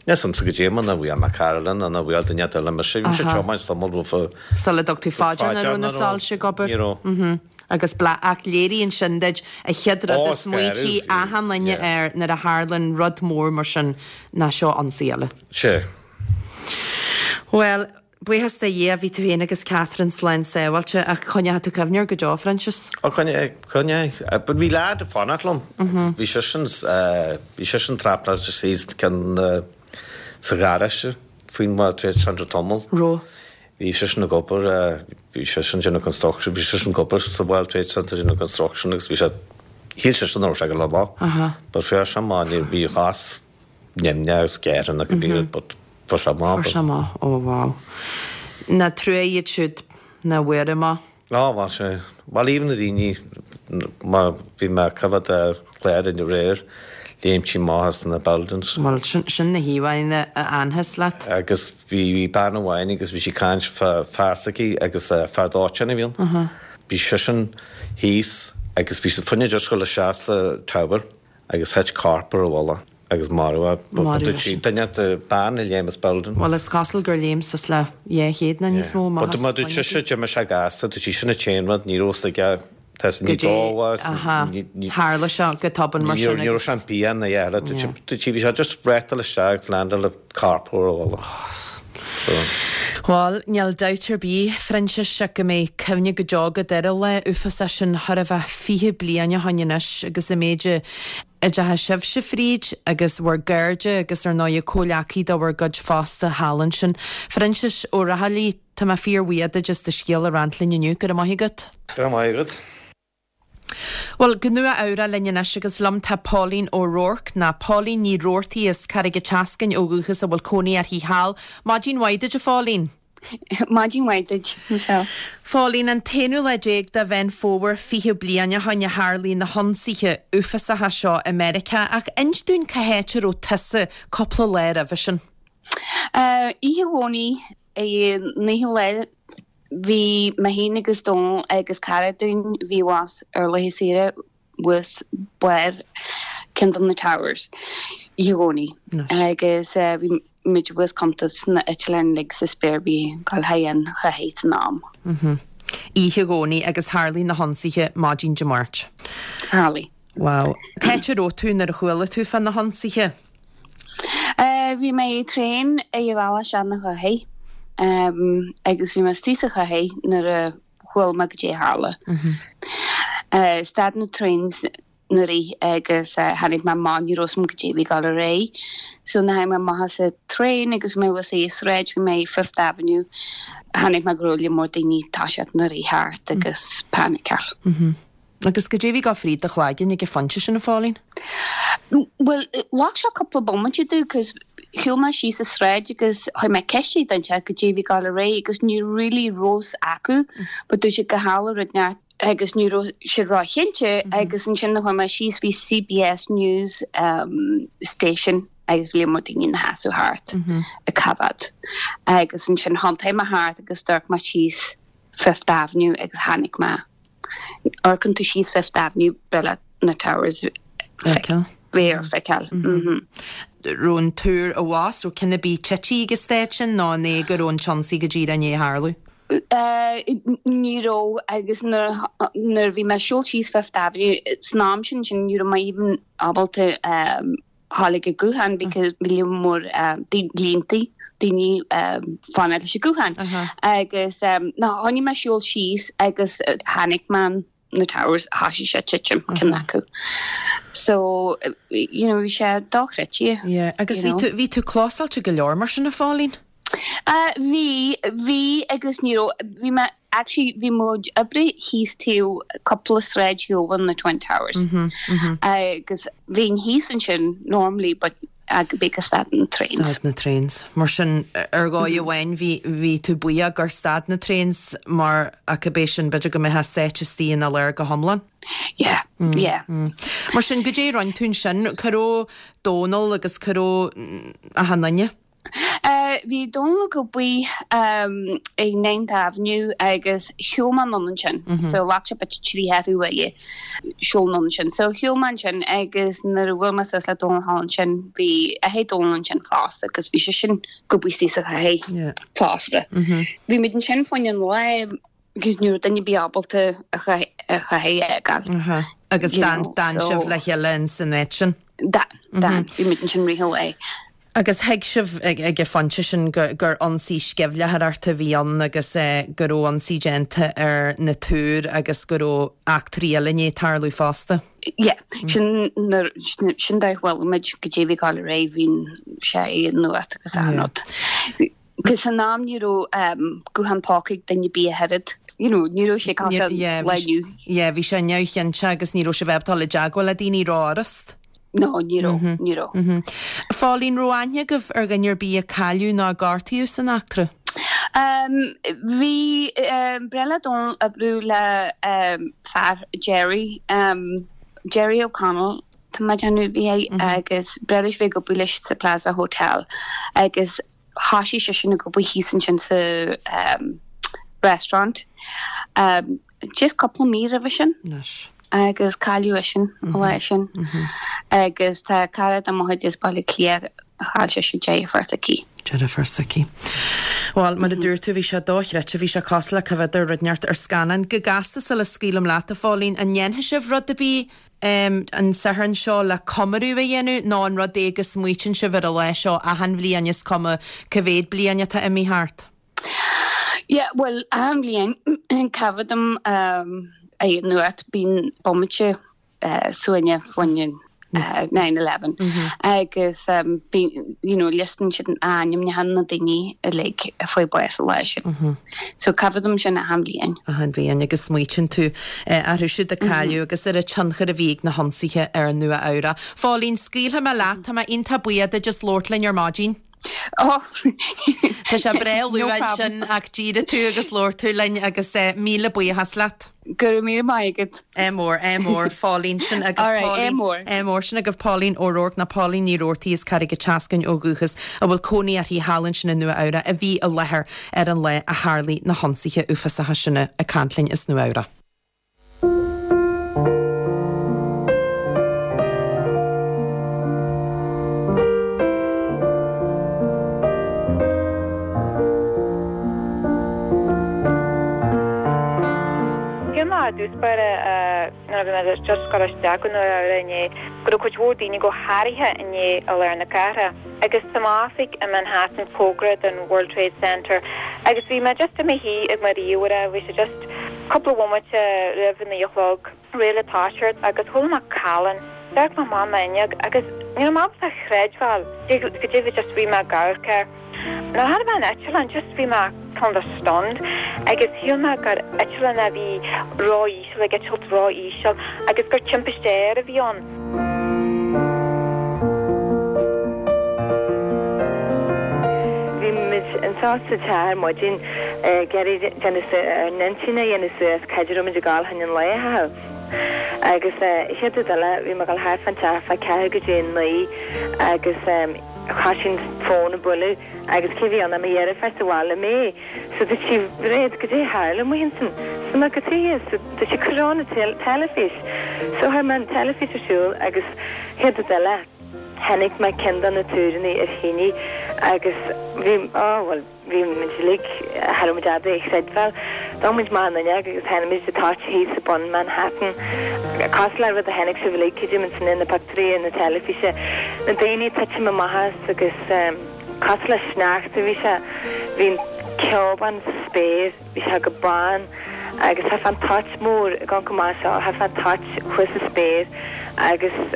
Níl 'fhios a'msa goidé mar nár bhuail mé cara eile ná nár bhuail duine eile mise. Bhí mise ag tiomáint tamall roimh Sula dtug tú fá dear nach raibh na soilse ag obair. Ní raibh. Agus bla ach léiríonn sin duit an chéad rud a smaoitigh achan duine air nuair a tharlaíonn rud mór mar sin ná seo ionsaí eile. Sea. Bhuel, Buíochas do Dhia, bhí tú féin agus Catherine slán sábháilte, ach coinneoidh tú cuimhne air go deo, Phroinsias. Ó, coinneoidh, coinneoidh. But bhí leaid ag fanacht liom. Bhí seisean, bhí seisean trapnáilte síos ceann sa gharáiste faoin World Trade Centre tamall. Raibh. Bhí seisean ag obair, bhí seisean déanamh construction, bhí seisean ag obair sa World Trade Centre déanamh construction agus bhí sé, shíl seisean nach raibh sé ag dul amach. But fuair sé amach, ní, bhí a chás nimhneach agus gearrtha nó cibé rud but fuair sé amach. Fuair sé amach, oh wow. Nach trua iad siúd nach bhfuair amach. Á bhuel sea, bhuel even na daoine má bhí mé ag coimhéad ar chlár aréir, léimtí amach as na buildings. Bhuel sin, sin na híomhánna a fhanfas leat. Agus bhí, bhí bean amháin agus bhí sí ag caint fá fear s'aici agus fear dóiteáin a bhí ann. Bhí seisean thíos agus bhí siad fá choinne just dul isteach sa tower agus thit corp ar a mhullach. agus maraíodh é. Duine de bean a léim as building. Bhuel is cosúil gur léim suas le dhá chéad nó níos mó amach as. But dúirt sise d'imigh sé gasta, dúirt sí sin an t-aon rud, ní raibh fhios aige, tá sé ní dóbhás. Aha, tharla sé go tobann mar sin agus. Ní raibh sé an bia ina dheire, dúirt sí bhí sé just breathtáil isteach agus landáil le corp ar a bhalla. So. Bhuel, níl dabht ar bith, Phroinsias, go mbeidh cuimhne go deo agat ar an lá uafásach sin chóir a bheith fiche bliain ó shoin anois agus an méid a a dteachaigh sibhse fríd agus bhur gcairde agus ar ndóigh comhleacaí de bhur gcuid fosta thall ansin. Phroinsias Ó Raghallaigh, tá mé fíor-bhuíoch duit as do scéal a roinnt linn inniu. Go raibh maith agat. Go raibh maith agat. Bhuel, go Nua Eabhrac linn anois agus liom tá Pauline O'Rourke, ná Pauline Ní Roarty as Carraig an tSeascainn ó dhúchas a bhfuil cónaí uirthi thall. Maidin mhaith duit a Phauline. Maidin mhaith duit, Michelle. Phauline, an t-aonú lá déag de Mheán Fómhair fiche bliain ó shoin a tharlaigh na hionsaithe uafásacha seo i Meiriceá ach inis dúinn cá háit a raibh tusa cúpla lá roimhe sin. Oíche Dhomhnaigh, naoú lá Bhí mé féin agus Dónal agus cara dúinn a bhí abhus ar laetha saoire thuas barr ceann de na towers oíche Dhomhnaigh agus bhí muid abhus cuntas na eitleáin uilig sa spéir bhí ag dul thar an chathair san am. Oíche Dhomhnaigh agus tharlaigh na hionsaithe maidin Dé Máirt. Tharlaigh. Wow. Cá háit a raibh tú nuair a chuala tú fá na hionsaithe? Bhí mé i traein ar an bhealach isteach 'na chathair agus bhí mé istigh sa chathair nuair a chuala mé goidé a tharla. Stad na trains na rith agus tháinig mé amach ní raibh 'fhios a'm goidé a bhí ag dul ar aghaidh. So nuair a tháinig mé amach as an traein agus mé thuas ar an sráid bhí mé i Fifth Avenue chonaic mé go raibh lear mór daoine ag toiseacht na rith thart agus paniceáil. Agus goidé a bhí ag gabháil fríd do chloigeann ag an phointe sin, a Phauline? Bhuel, ghlac sé cúpla bomaite domh cos shiúil mé síos an sráid agus chuir mé ceist ar dhuine inteacht goidé a bhí ag dul ar aghaidh agus ní really raibh 'fhios acu but dúirt siad gur tharla rud inteacht agus ní raibh siad ró-chinnte agus ansin nuair a chuaigh mé síos bhí CBS News um, station agus bhí lear mór daoine ina sheasamh thart ag coimhéad agus ansin thiontaigh mé thart agus d'amharc mé síos Fifth Avenue agus chonaic mé Amharcann tú síos Fifth Avenue breá leat na Towers Feiceáil. Bheith ar feiceáil. Raibh an túr abhus, raibh ceann ar bith tite ag an staid sin nó an é go raibh an t-ionsaí go díreach i ndiaidh tarlú? Ní raibh agus nuair a bhí mé ag siúl síos Fifth Avenue san am sin sin ní raibh mé even ábalta ghabháil ag an guthán because bhí lear mór línte daoine fanacht leis an guthán agus nuair a thoisigh mé siúl síos agus chonaic mé na towers thoisigh sé titim ceann acu. So you know bhí sé dochreidte. Yeah, agus bhí tú bhí tú clósáilte go leor mar sin a Phauline? Bhí, bhí agus ní raibh, bhí mé actually bhí mo chuid oibre thíos taobh cúpla sráid taobh na Twin Towers agus bhínn thíos ansin normally but because stad na trains. Stad na trains. Mar sin ar dhóigh amháin bhí bhí tú buíoch gur stad na trains mar ach ab é sin b'fhéidir go mbeifeá sáite istigh ina lár go hiomlán. Yeah, yeah. Mar sin goidé a rinne tú ansin, cá raibh Dónal agus cá raibh achan duine? Bhí Dónal ag obair i Ninth Avenue agus shiúil mé anonn ansin. So ghlac sé b'fhéidir trí cheathrú uaire siúl anonn ansin. So shiúil mé ansin agus nuair a bhuail mé suas le Dónal thall ansin bhí athair Dónal ansin fosta agus bhí seisean ag obair istigh sa chathair fosta. Bhí muid ansin fá choinne an lae agus ní raibh duine ar bith ábalta an chathair a fhágáil. Agus d'fhan sibh le chéile in san áit sin? D'fhan, d'fhan. Bhí muid ansin rith an lae. Agus thuig sibh ag an phointe sin gur ionsaí sceimhlitheoireachta a bhí ann agus go raibh ionsaí déanta ar na túir agus go raibh eachtraí eile i ndiaidh tarlú fosta? Yeah, sin nuair, sin dóigh a chuala muid goidé a bhí ag dul ar aghaidh, bhí sé i nuacht agus achan rud. Cos san am ní raibh guthán póca ag duine ar bith ach oiread, you know, ní raibh sé cosúil le inniu. Yeah, bhí sé neamhchinnte agus ní raibh sibh ábalta dul i dteagmháil le daoine rófhurast. No, ní raibh, ní raibh. A Phauline, raibh aithne agaibh ar dhuine ar bith a cailleadh nó a gortaíodh san eachtra? Bhí, ba bhreá le Dónal oibriú le fear, Jerry, Jerry O'Connell, tá mé ag déanamh, bhí agus ba bhreá leis bheith ag obair leis sa Plaza Hotel agus thoisigh seisean ag obair thíos ansin sa restaurant just cúpla mí roimhe sin. Agus cailleadh eisean an lá sin. Agus tá cara de mo chuid as Baile Átha Cliath chaill sise deirfiúr s'aici. Deirfiúr s'aici. Bhuel, mar a dúirt tú, bhí sé dochreidte, bhí sé cosúil le cá bhfios rud inteacht ar scannán. Go gasta sula scaoilim leat, a Phóilín, an ndéanfaidh sibh rud ar bith an Satharn seo le comóradh a dhéanamh nó an rud é go smaoitíonn sibh ar an lá seo achan bhliain is cuma cá mhéad bliain atá imithe thart? Yeah, well, achan bhliain cá dom é nuacht bíonn bomaite suaine faoin nine eleven agus bíonn you know liostann siad ainmneacha na daoine uilig a fuair bás an lá sin. So coimhéadaim sin achan bhliain. Achan bhliain agus smaoitíonn tú orthu siúd a cailleadh agus ar an tionchar a bhí ag na hionsaithe ar Nua Eabhrac. Phóilín, scaoilfidh mé leat, tá mé iontach buíoch duit as labhairt linn ar maidin. Oh. Tá sé breá luath ansin ach d'éirigh tú agus labhair tú linn agus míle buíochas leat. Go raibh míle maith agat. Ádh mór, ádh mór, Phóilín sin agus Pauline. Ádh mór sin agaibh Pauline O'Rourke ná Pauline Ní Roarty as Carraig an tSeascainn ó dhúchas a bhfuil cónaí uirthi thall ansin i Nua Eabhrac a bhí i láthair ar an lá a tharlaigh na hionsaithe uafásacha sin ag caint linn as Nua Eabhrac. Shíl mé i dtús báire nuair a bhí mé just ag dul isteach go Nua Eabhrac inné go raibh cuid mhór daoine go háirithe inné i lár na cathrach. Agus tá m'oifig i Manhattan cóngarach don World Trade Center agus bhí mé just i mo shuí ag mo ríomhaire, bhí sé just cúpla bomaite roimh a naoi a chlog, réidh le toiseacht agus chuala mé callán. D'amharc mé amach m'fhuinneog agus ní raibh mé ábalta a chreidbheáil goidé a bhí just bhí mé ag amharc air. Nuair a chonaic mé an eitleán just bhí mé kind of stunned agus shíl mé gur eitleán a bhí ró-íseal ag eitilt ró-íseal agus gur timpiste aeir a bhí ann. Bhí muid anseo sa teach ar maidin ag iarraidh déanamh ár n-intinn a dhéanamh suas cá raibh muid ag dul chun an lae a chaitheamh. Agus chéad rud eile bhí mé ag dul thart fán teach fá ceathrú go dtí a naoi agus thosaigh an fón ag bualadh agus cé bhí ann ach mo dheirfiúr sa bhaile May. So dúirt sí Mhairéad goidé a tharla amuigh ansin. So mé cad chuige so dúirt sí cuir on an teilifís. So chuir mé an teilifís ar siúl agus chéad rud eile chonaic mé ceann de na túranna ar thine agus bhí oh bhuel bhí muid uilig cha raibh muid ábalta é a chreidbheáil. D'amharc muid amach an fhuinneog agus chonaic muid na toirte thíos ag bun Manhattan. Cosúil le rud a chonaic sibh uilig creidim ansin na pictiúirí ar na teilifíse. Na daoine ag titim amach as agus cosúil le sneachta bhí sé. Bhí an ceobán sa spéir, bhí sé go bán agus tá an toit mór ag amharc amach seo, tá an toit thuas sa spéir agus is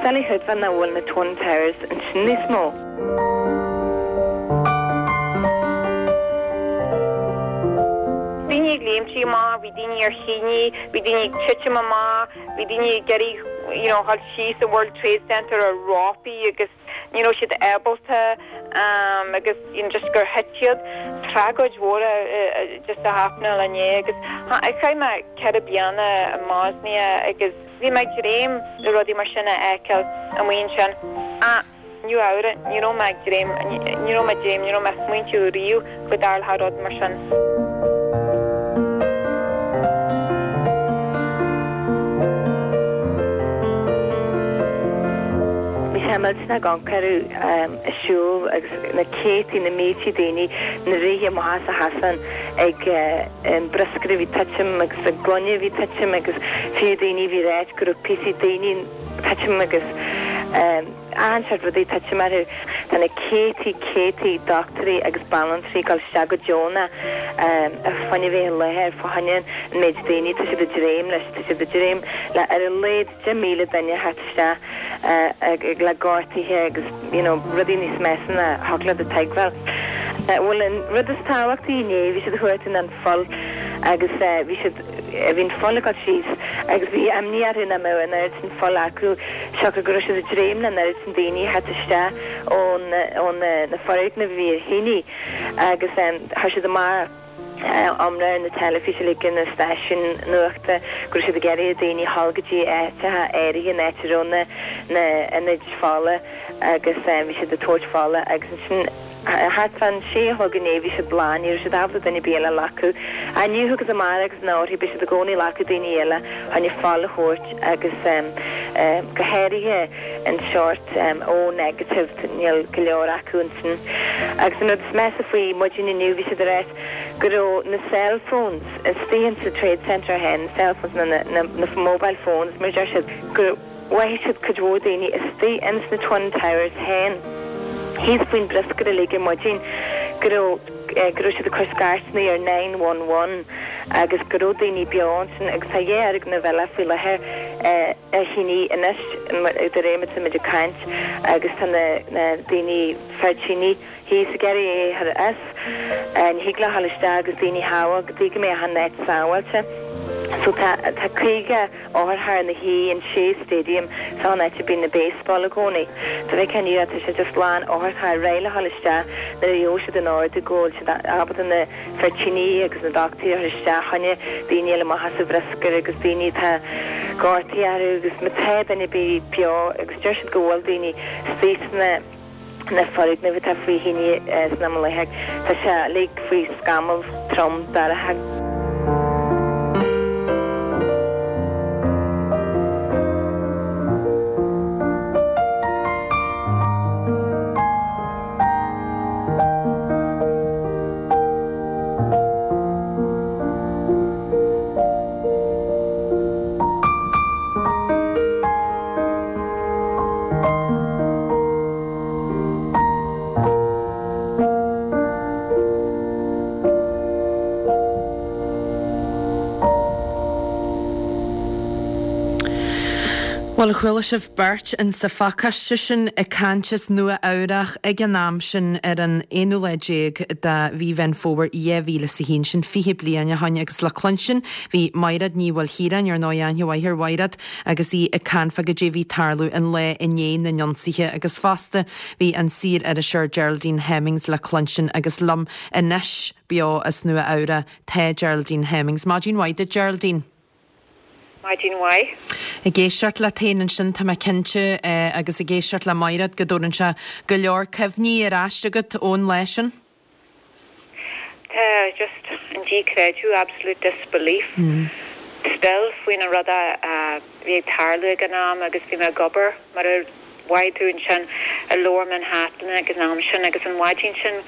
doiligh a chreidbheáil nach bhfuil na Twin Towers ansin níos mó. Daoine ag léimtí amach, bhí daoine ar thine, bhí daoine ag titim amach, bhí daoine ag iarraidh you know dhul síos an World Trade Center ar rópaí agus ní raibh siad ábalta agus you know just gur thit siad. Tragóid mhór just a happenáil inné agus chaith mé ceithre bliana i mBosnia agus bhí mé ag dréim le rudaí mar sin a fheiceáil amuigh ansin. Ach Nua Eabhrac, ní raibh mé ag dréim, ní raibh mé ag dréim, ní raibh mé ag smaointiú riamh go dtarlódh rud mar sin. Bhí sé millteanach ag amharc orthu ag siúl agus na céadtaí, na míltí daoine ag rith amach as an chosán ag an bruscar a bhí titim agus an gloine a bhí titim agus fiú daoine a bhí ráit go raibh píosaí daoine titim agus achan seort rudaí titim orthu. Tá na céadtaí, céadtaí dochtúirí agus banaltraí ag dul isteach go deonach fá choinne bheith i láthair fá choinne an méid daoine. Tá siad ag dréim leis, tá siad ag dréim le ar a laghad deich míle duine a theacht isteach le gortuithe agus you know rudaí níos measa ná thiocfadh leat a thuigbheáil. Bhuel an rud is tábhachtaí inné bhí siad ag cuartú an pholl agus bhí siad, bhí an pholl ag dul síos agus bhí imní orthu nach mbeadh an oiread sin pholl acu siocair go raibh siad ag dréim le an oiread sin daoine a theacht isteach ón ó na foirgnimh a bhí ar thine agus chuir siad amach iomrá ar na teilifís uilig ar na stáisiúin nuachta go raibh siad ag iarraidh ar daoine dhul go dtí áiteacha áirithe an áit a raibh na na ionaid fola agus bhí siad ag tabhairt fola agus ansin Thart fán sé a chlog inné bhí siad lán, ní raibh siad ábalta duine ar bith eile a ghlacadh. Inniu agus amárach agus an-orthu beidh siad i gcónaí ag glacadh daoine eile chun fuil a thabhairt agus go háirithe an seort O negative, níl go leor acu ansin. Agus an rud is measa faoi maidin inniu bhí siad ag ráit go raibh na cell phones istigh insa Trade Centre féin, na cell phones nó na mobile phones mar a deir siad, go mhothaigh siad cuid mhór daoine istigh ins na Twin Towers féin thíos faoin bhruscar uilig ar maidin go raibh go raibh siad ag cur scairteanna ar nine one one agus go raibh daoine beo ansin agus tá dhá fhoirgneamh eile faoi láthair ar thine anois de réir mar atá muid ag caint agus tá na na daoine fear tine thíos ag iarraidh é a chur as. Ní thig leo a ghabháil isteach agus daoine a shábháil go dtí go mbeidh an áit sábháilte. So tá tá caoga otharcharr ina shuí in Shea Stadium, seo an áit a bíonn na baseball i gcónaí. Dá bhfeicfeá inniu é tá sé just lán otharcharr réidh le ghabháil isteach nuair a gheobhaidh siad an ordú go bhfuil siad ábalta na fir tine agus na dochtúirí a chur isteach choinne daoine a fháil amach as an bhruscar agus daoine atá gortaithe orthu agus má tá duine ar bith beo agus deir siad go bhfuil daoine istigh sna na foirgnimh atá faoi thine san am i láthair. Tá sé uilig faoi scamall trom dorcha. Bhuel, chuala sibh beirt in sa phacáiste sin ag caint as Nua Eabhrach ag an am sin ar an aonú lá déag de mhí Mheán Fómhair dhá mhíle is a haon, sin fiche bliain ó shoin agus le cluinstin bhí Maighread Ní Mhaoilchiaráin, ar ndóigh aithne mhaith ar Mhaighread agus í ag caint fá goidé a bhí ag tarlú an lá i ndiaidh na n-ionsaithe agus fosta bhí an saor-iriseoir Geraldine Hemmings le cluinstin agus liom anois beo as Nua Eabhrac tá Geraldine Hemmings. Maidin mhaith duit Geraldine. Maidin mhaith. Ag éisteacht leat féin ansin tá mé cinnte agus ag éisteacht le Maighread go dtabharann sé go leor cuimhní ar ais agat ón lá sin. Tá just an díchreideamh, absolute disbelief, still faoin an rud a bhí ag tarlú ag an am agus bhí mé ag obair mar a mhaígh tú ansin i Lower Manhattan ag an am sin agus an mhaidin sin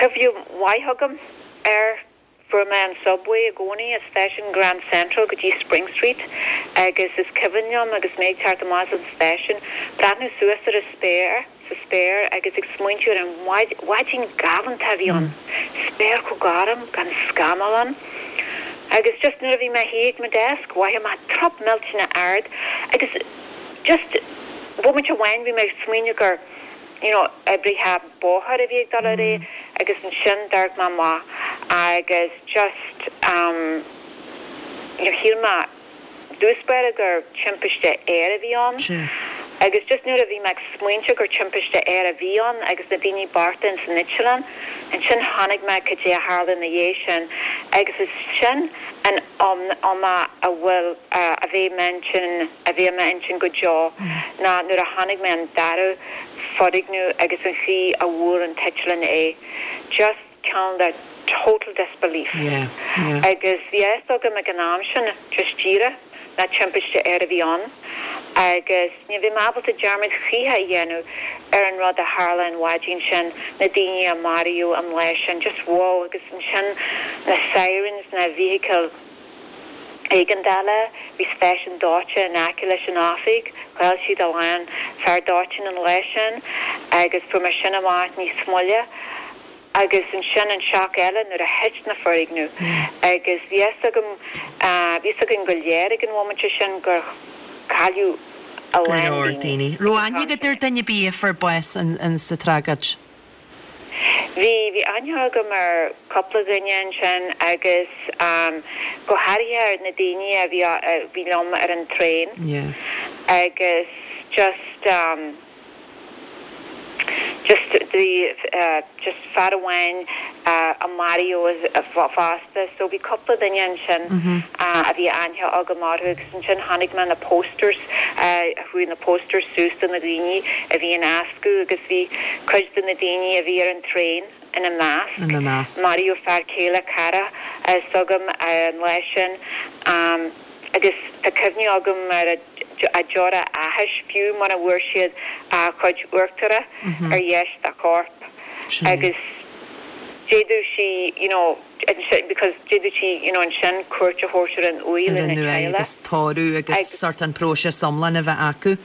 cuimhne mhaith agam air. Fuair mé an subway i gcónaí as stáisiún Grand Central go dtí Spring Street agus is cuimhin liom agus mé ag teacht amach as an stáisiún, breathnú suas ar an spéir, sa spéir agus ag smaointiú ar an mhaidin galánta a bhí ann, spéir chomh gorm, gan scamall ann. Agus just nuair a bhí mé thiar ag mo desk, mhothaigh mé trup millteanach ard agus just bomaite amháin bhí mé ag smaoineamh gur you know, oibrithe bóthair a bhí ag dul ar aghaidh agus ansin d'amharc mé amach agus just um you know, shíl mé i dtús báire gur timpiste aeir a bhí ann agus just nuair a bhí mé ag smaointiú gur timpiste aeir a bhí ann agus na daoine bochta ins an eitleán, ansin chonaic mé cad é a tharla ina dhiaidh sin agus is sin an am a bhfuil, a bheidh i m'intinn, a bheidh i m'intinn go deo ná nuair a chonaic mé an dara foirgneamh agus an chaoi a bhuail an t-eitleán é. Just cineál de total disbelief. Agus bhí a fhios agam ag an am sin just díreach nach timpiste aeir a bhí ann agus ní bheidh mé ábalta dearmad choíche a dhéanamh ar an rud a tharla an mhaidin sin, na daoine a maraíodh an lá sin, just wow agus ansin na sirens na bhfeithicil éigeandála, bhí stáisiún dóiteáin in aice leis an oifig, chaill siad a lán fear dóiteáin an lá sin agus fuair mé sin amach níos moille. Agus ansin an shock eile nuair a thit na foirgnimh agus bhí fhios agam, bhí fhios againn go léir ag an bhomaite sin gur cailleadh a Go lán leor daoine. daoine. Raibh aithne agat ar duine ar bith a fuair bás in sa tragóid? Bhí, bhí aithne agam ar cúpla duine ansin agus go háirithe ar na daoine a bhí, a bhí liom ar an traein agus just, Just the just fear amháin a maraíodh fosta so bhí cúpla duine ansin a bhí aithne agam orthu agus ansin chonaic mé na posters chuaigh na posters suas do na daoine a bhí in eascú agus bhí cuid de na daoine a bhí ar an traein ina measc. Ina measc. Maraíodh fear céile cara s'agam an lá sin agus tá cuimhne agam ar a deora áthais fiú muna bhfuair siad a chuid uachtaire ar dheis dá chorp agus d'fhéadfadh sí you know because d'fhéadfadh sí you know ansin cuairt a thabhairt ar an uaigh Ar lena an uaigh teaghlach. agus tórramh agus sort an próiseas iomlán a bheith acu.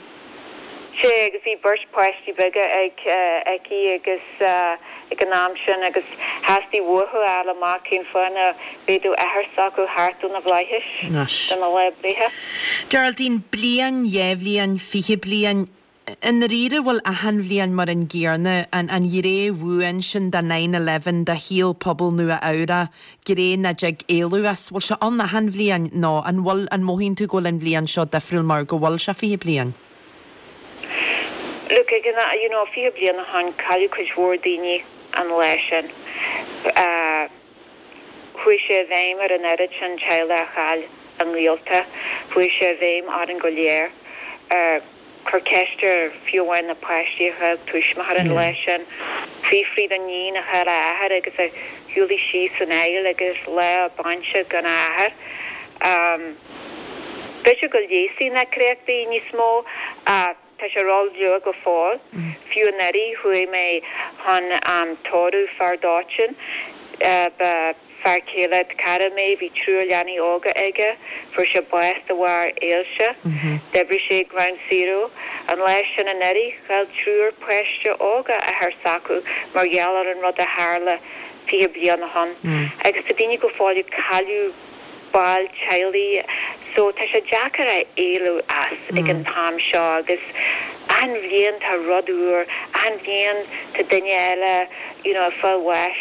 Sea, agus bhí beirt páistí beaga ag aici agus ag an am sin agus theastaigh uathu a fháil amach cén fáth nach bhféadfadh athair s'acu theacht ó na bhflaithis don lá breithe. Geraldine, bliain, dhá bhliain, fiche bliain, i ndáiríre bhfuil achan bhliain mar an gcéanna, an an ghné bhuan sin de nine eleven, de shaol pobal Nua Eabhrac, gné nach dtig éalú as, bhfuil sé ann achan bhliain nó an bhfuil, an mothaíonn tú go bhfuil an bhliain seo difriúil mar go bhfuil sé fiche bliain? Look, ag an, you know, fiche bliain ó shin, cailleadh cuid mhór daoine an lá sin. Chuaigh sé i bhfeidhm ar an oiread sin teaghlach a chaill a ngaolta. Chuaigh sé i bhfeidhm orainn go léir. Cuir ceist ar fiú amháin na páistí a chaill tuismitheoir an lá sin. Fiafraigh den iníon a chaill a athair agus a shiúlaigh síos an aill agus lá a bainse gan a athair. B'fhéidir go leigheasfaidh na créachtaí níos mó ach tá sé ró-luath go fóill. Fiú anuraidh chuaigh mé chun tórramh fear dóiteáin. Ba fear céile cara mé, bhí triúr leanaí óga aige, fuair sé bás de bharr ailse. D'oibrigh sé ag Ground Zero. An lá sin anuraidh, chaill triúr páiste óga athair s'acu mar gheall ar an rud a tharla fiche bliain ó shin. Agus tá daoine go fóill ag cailleadh baill teaghlaigh so tá sé deacair a éalú as ag an t-am seo agus achan bhliain tá rud úr, achan bhliain tá duine eile you know ag fáil bháis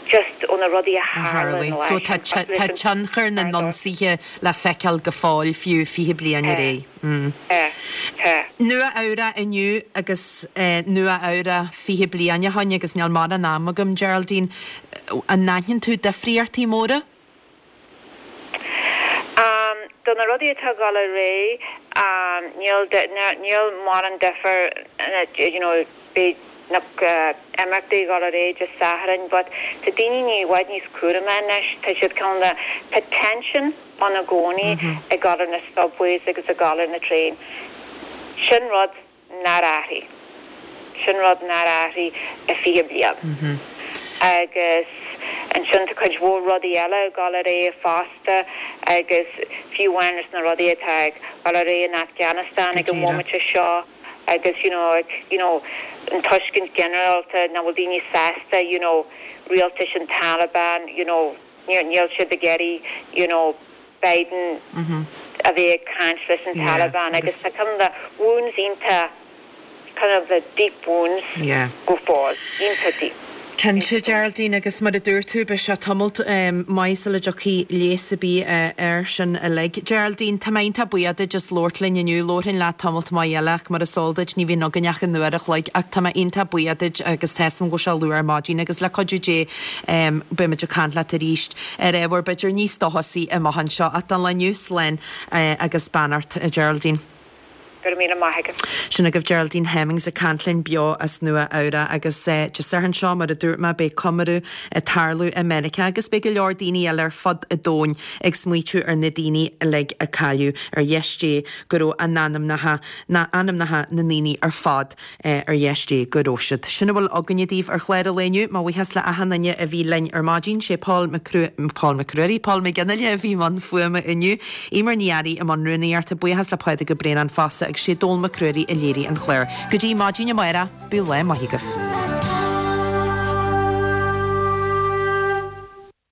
just ó na rudaí a A tharla tharlaigh. an lá So sin tá cosúil tá leis an tionchar na fear dóiteáin. n-ionsaithe le feiceáil go fóill fiú fiche bliain ar Tá, aghaidh. Mm. tá, tá. Nua Eabhrac inniu agus Nua Eabhrac fiche bliain ó shin agus níl mórán am agam Geraldine, an n-aithníonn tú difríochtaí móra? Um, do na rudaí atá ag dul ar aghaidh, um, níl níl mórán difear you know, beidh na imeachtaí ag dul ar aghaidh Dé Sathairn, but tá daoine ní i bhfad níos cúramaí anois, tá siad kind of tá tension ann i gcónaí ag dul ar na subways agus ag dul ar na traein. Sin rud nár athraigh. Sin rud nár athraigh i fiche bliain. Agus ansin tá cuid mhór rudaí eile ag dul ar aghaidh fosta agus fiú amháin leis na rudaí atá ag dul ar aghaidh in Afghanistan Go ag an díreach. bhomaite seo agus you know, ag, you know, an tuiscint ginearálta nach bhfuil daoine sásta you know, rialtas an Taliban you know, níl níl siad ag iarraidh you know, Biden a bheith ag caint leis an Yeah, Taliban agus agus tá kind of wounds iontach kind of the deep wounds Yeah. go fóill iontach deep. Cinnte Geraldine agus mar a dúirt tú beidh sé tamalt um, maith sula dtiocfaidh leigheas ar bith uh, air sin uilig. Geraldine, tá mé iontach buíoch duit as labhairt linn inniu labharfainn leat tamalt maith eile ach mar is eol duit ní bhíonn againn ach an uair a chloig ach tá mé iontach buíoch duit agus tá 's agam go bhfuil sé luath ar maidin agus le cuidiú Dé um, beimid ag caint leat arís ar ábhar b'fhéidir níos dóchasaí amach anseo ach don lá inniu slán uh, agus beannacht Geraldine. Go raibh míle maith agat. Sin agaibh Geraldine Hemmings ag caint linn beo as Nua Eabhrac agus eh, Dé Sathairn seo mar a dúirt mé beidh comóradh ag tarlú i Meiriceá agus beidh go leor daoine eile ar fud an domhain ag smaoitiú ar na daoine uilig a cailleadh ar dheis Dé go raibh a n-anamnacha na anamnacha na ndaoine ar fad eh, ar dheis Dé go raibh siad. Sin a bhfuil againne daoibh ar chlár an lae inniu, mo bhuíochas le achan duine a bhí linn ar maidin sé Paul McCru Paul McCruirí, Paul McGinnile a bhí i mbun fuaime inniu, Emer Ní Fhearraigh i mbun rúnaíochta buíochas le Pádraig Ó Braonáin fosta agus sé Dól McCruirí a léirigh an clár. Go dtí maidin amárach, bíodh lá maith agaibh.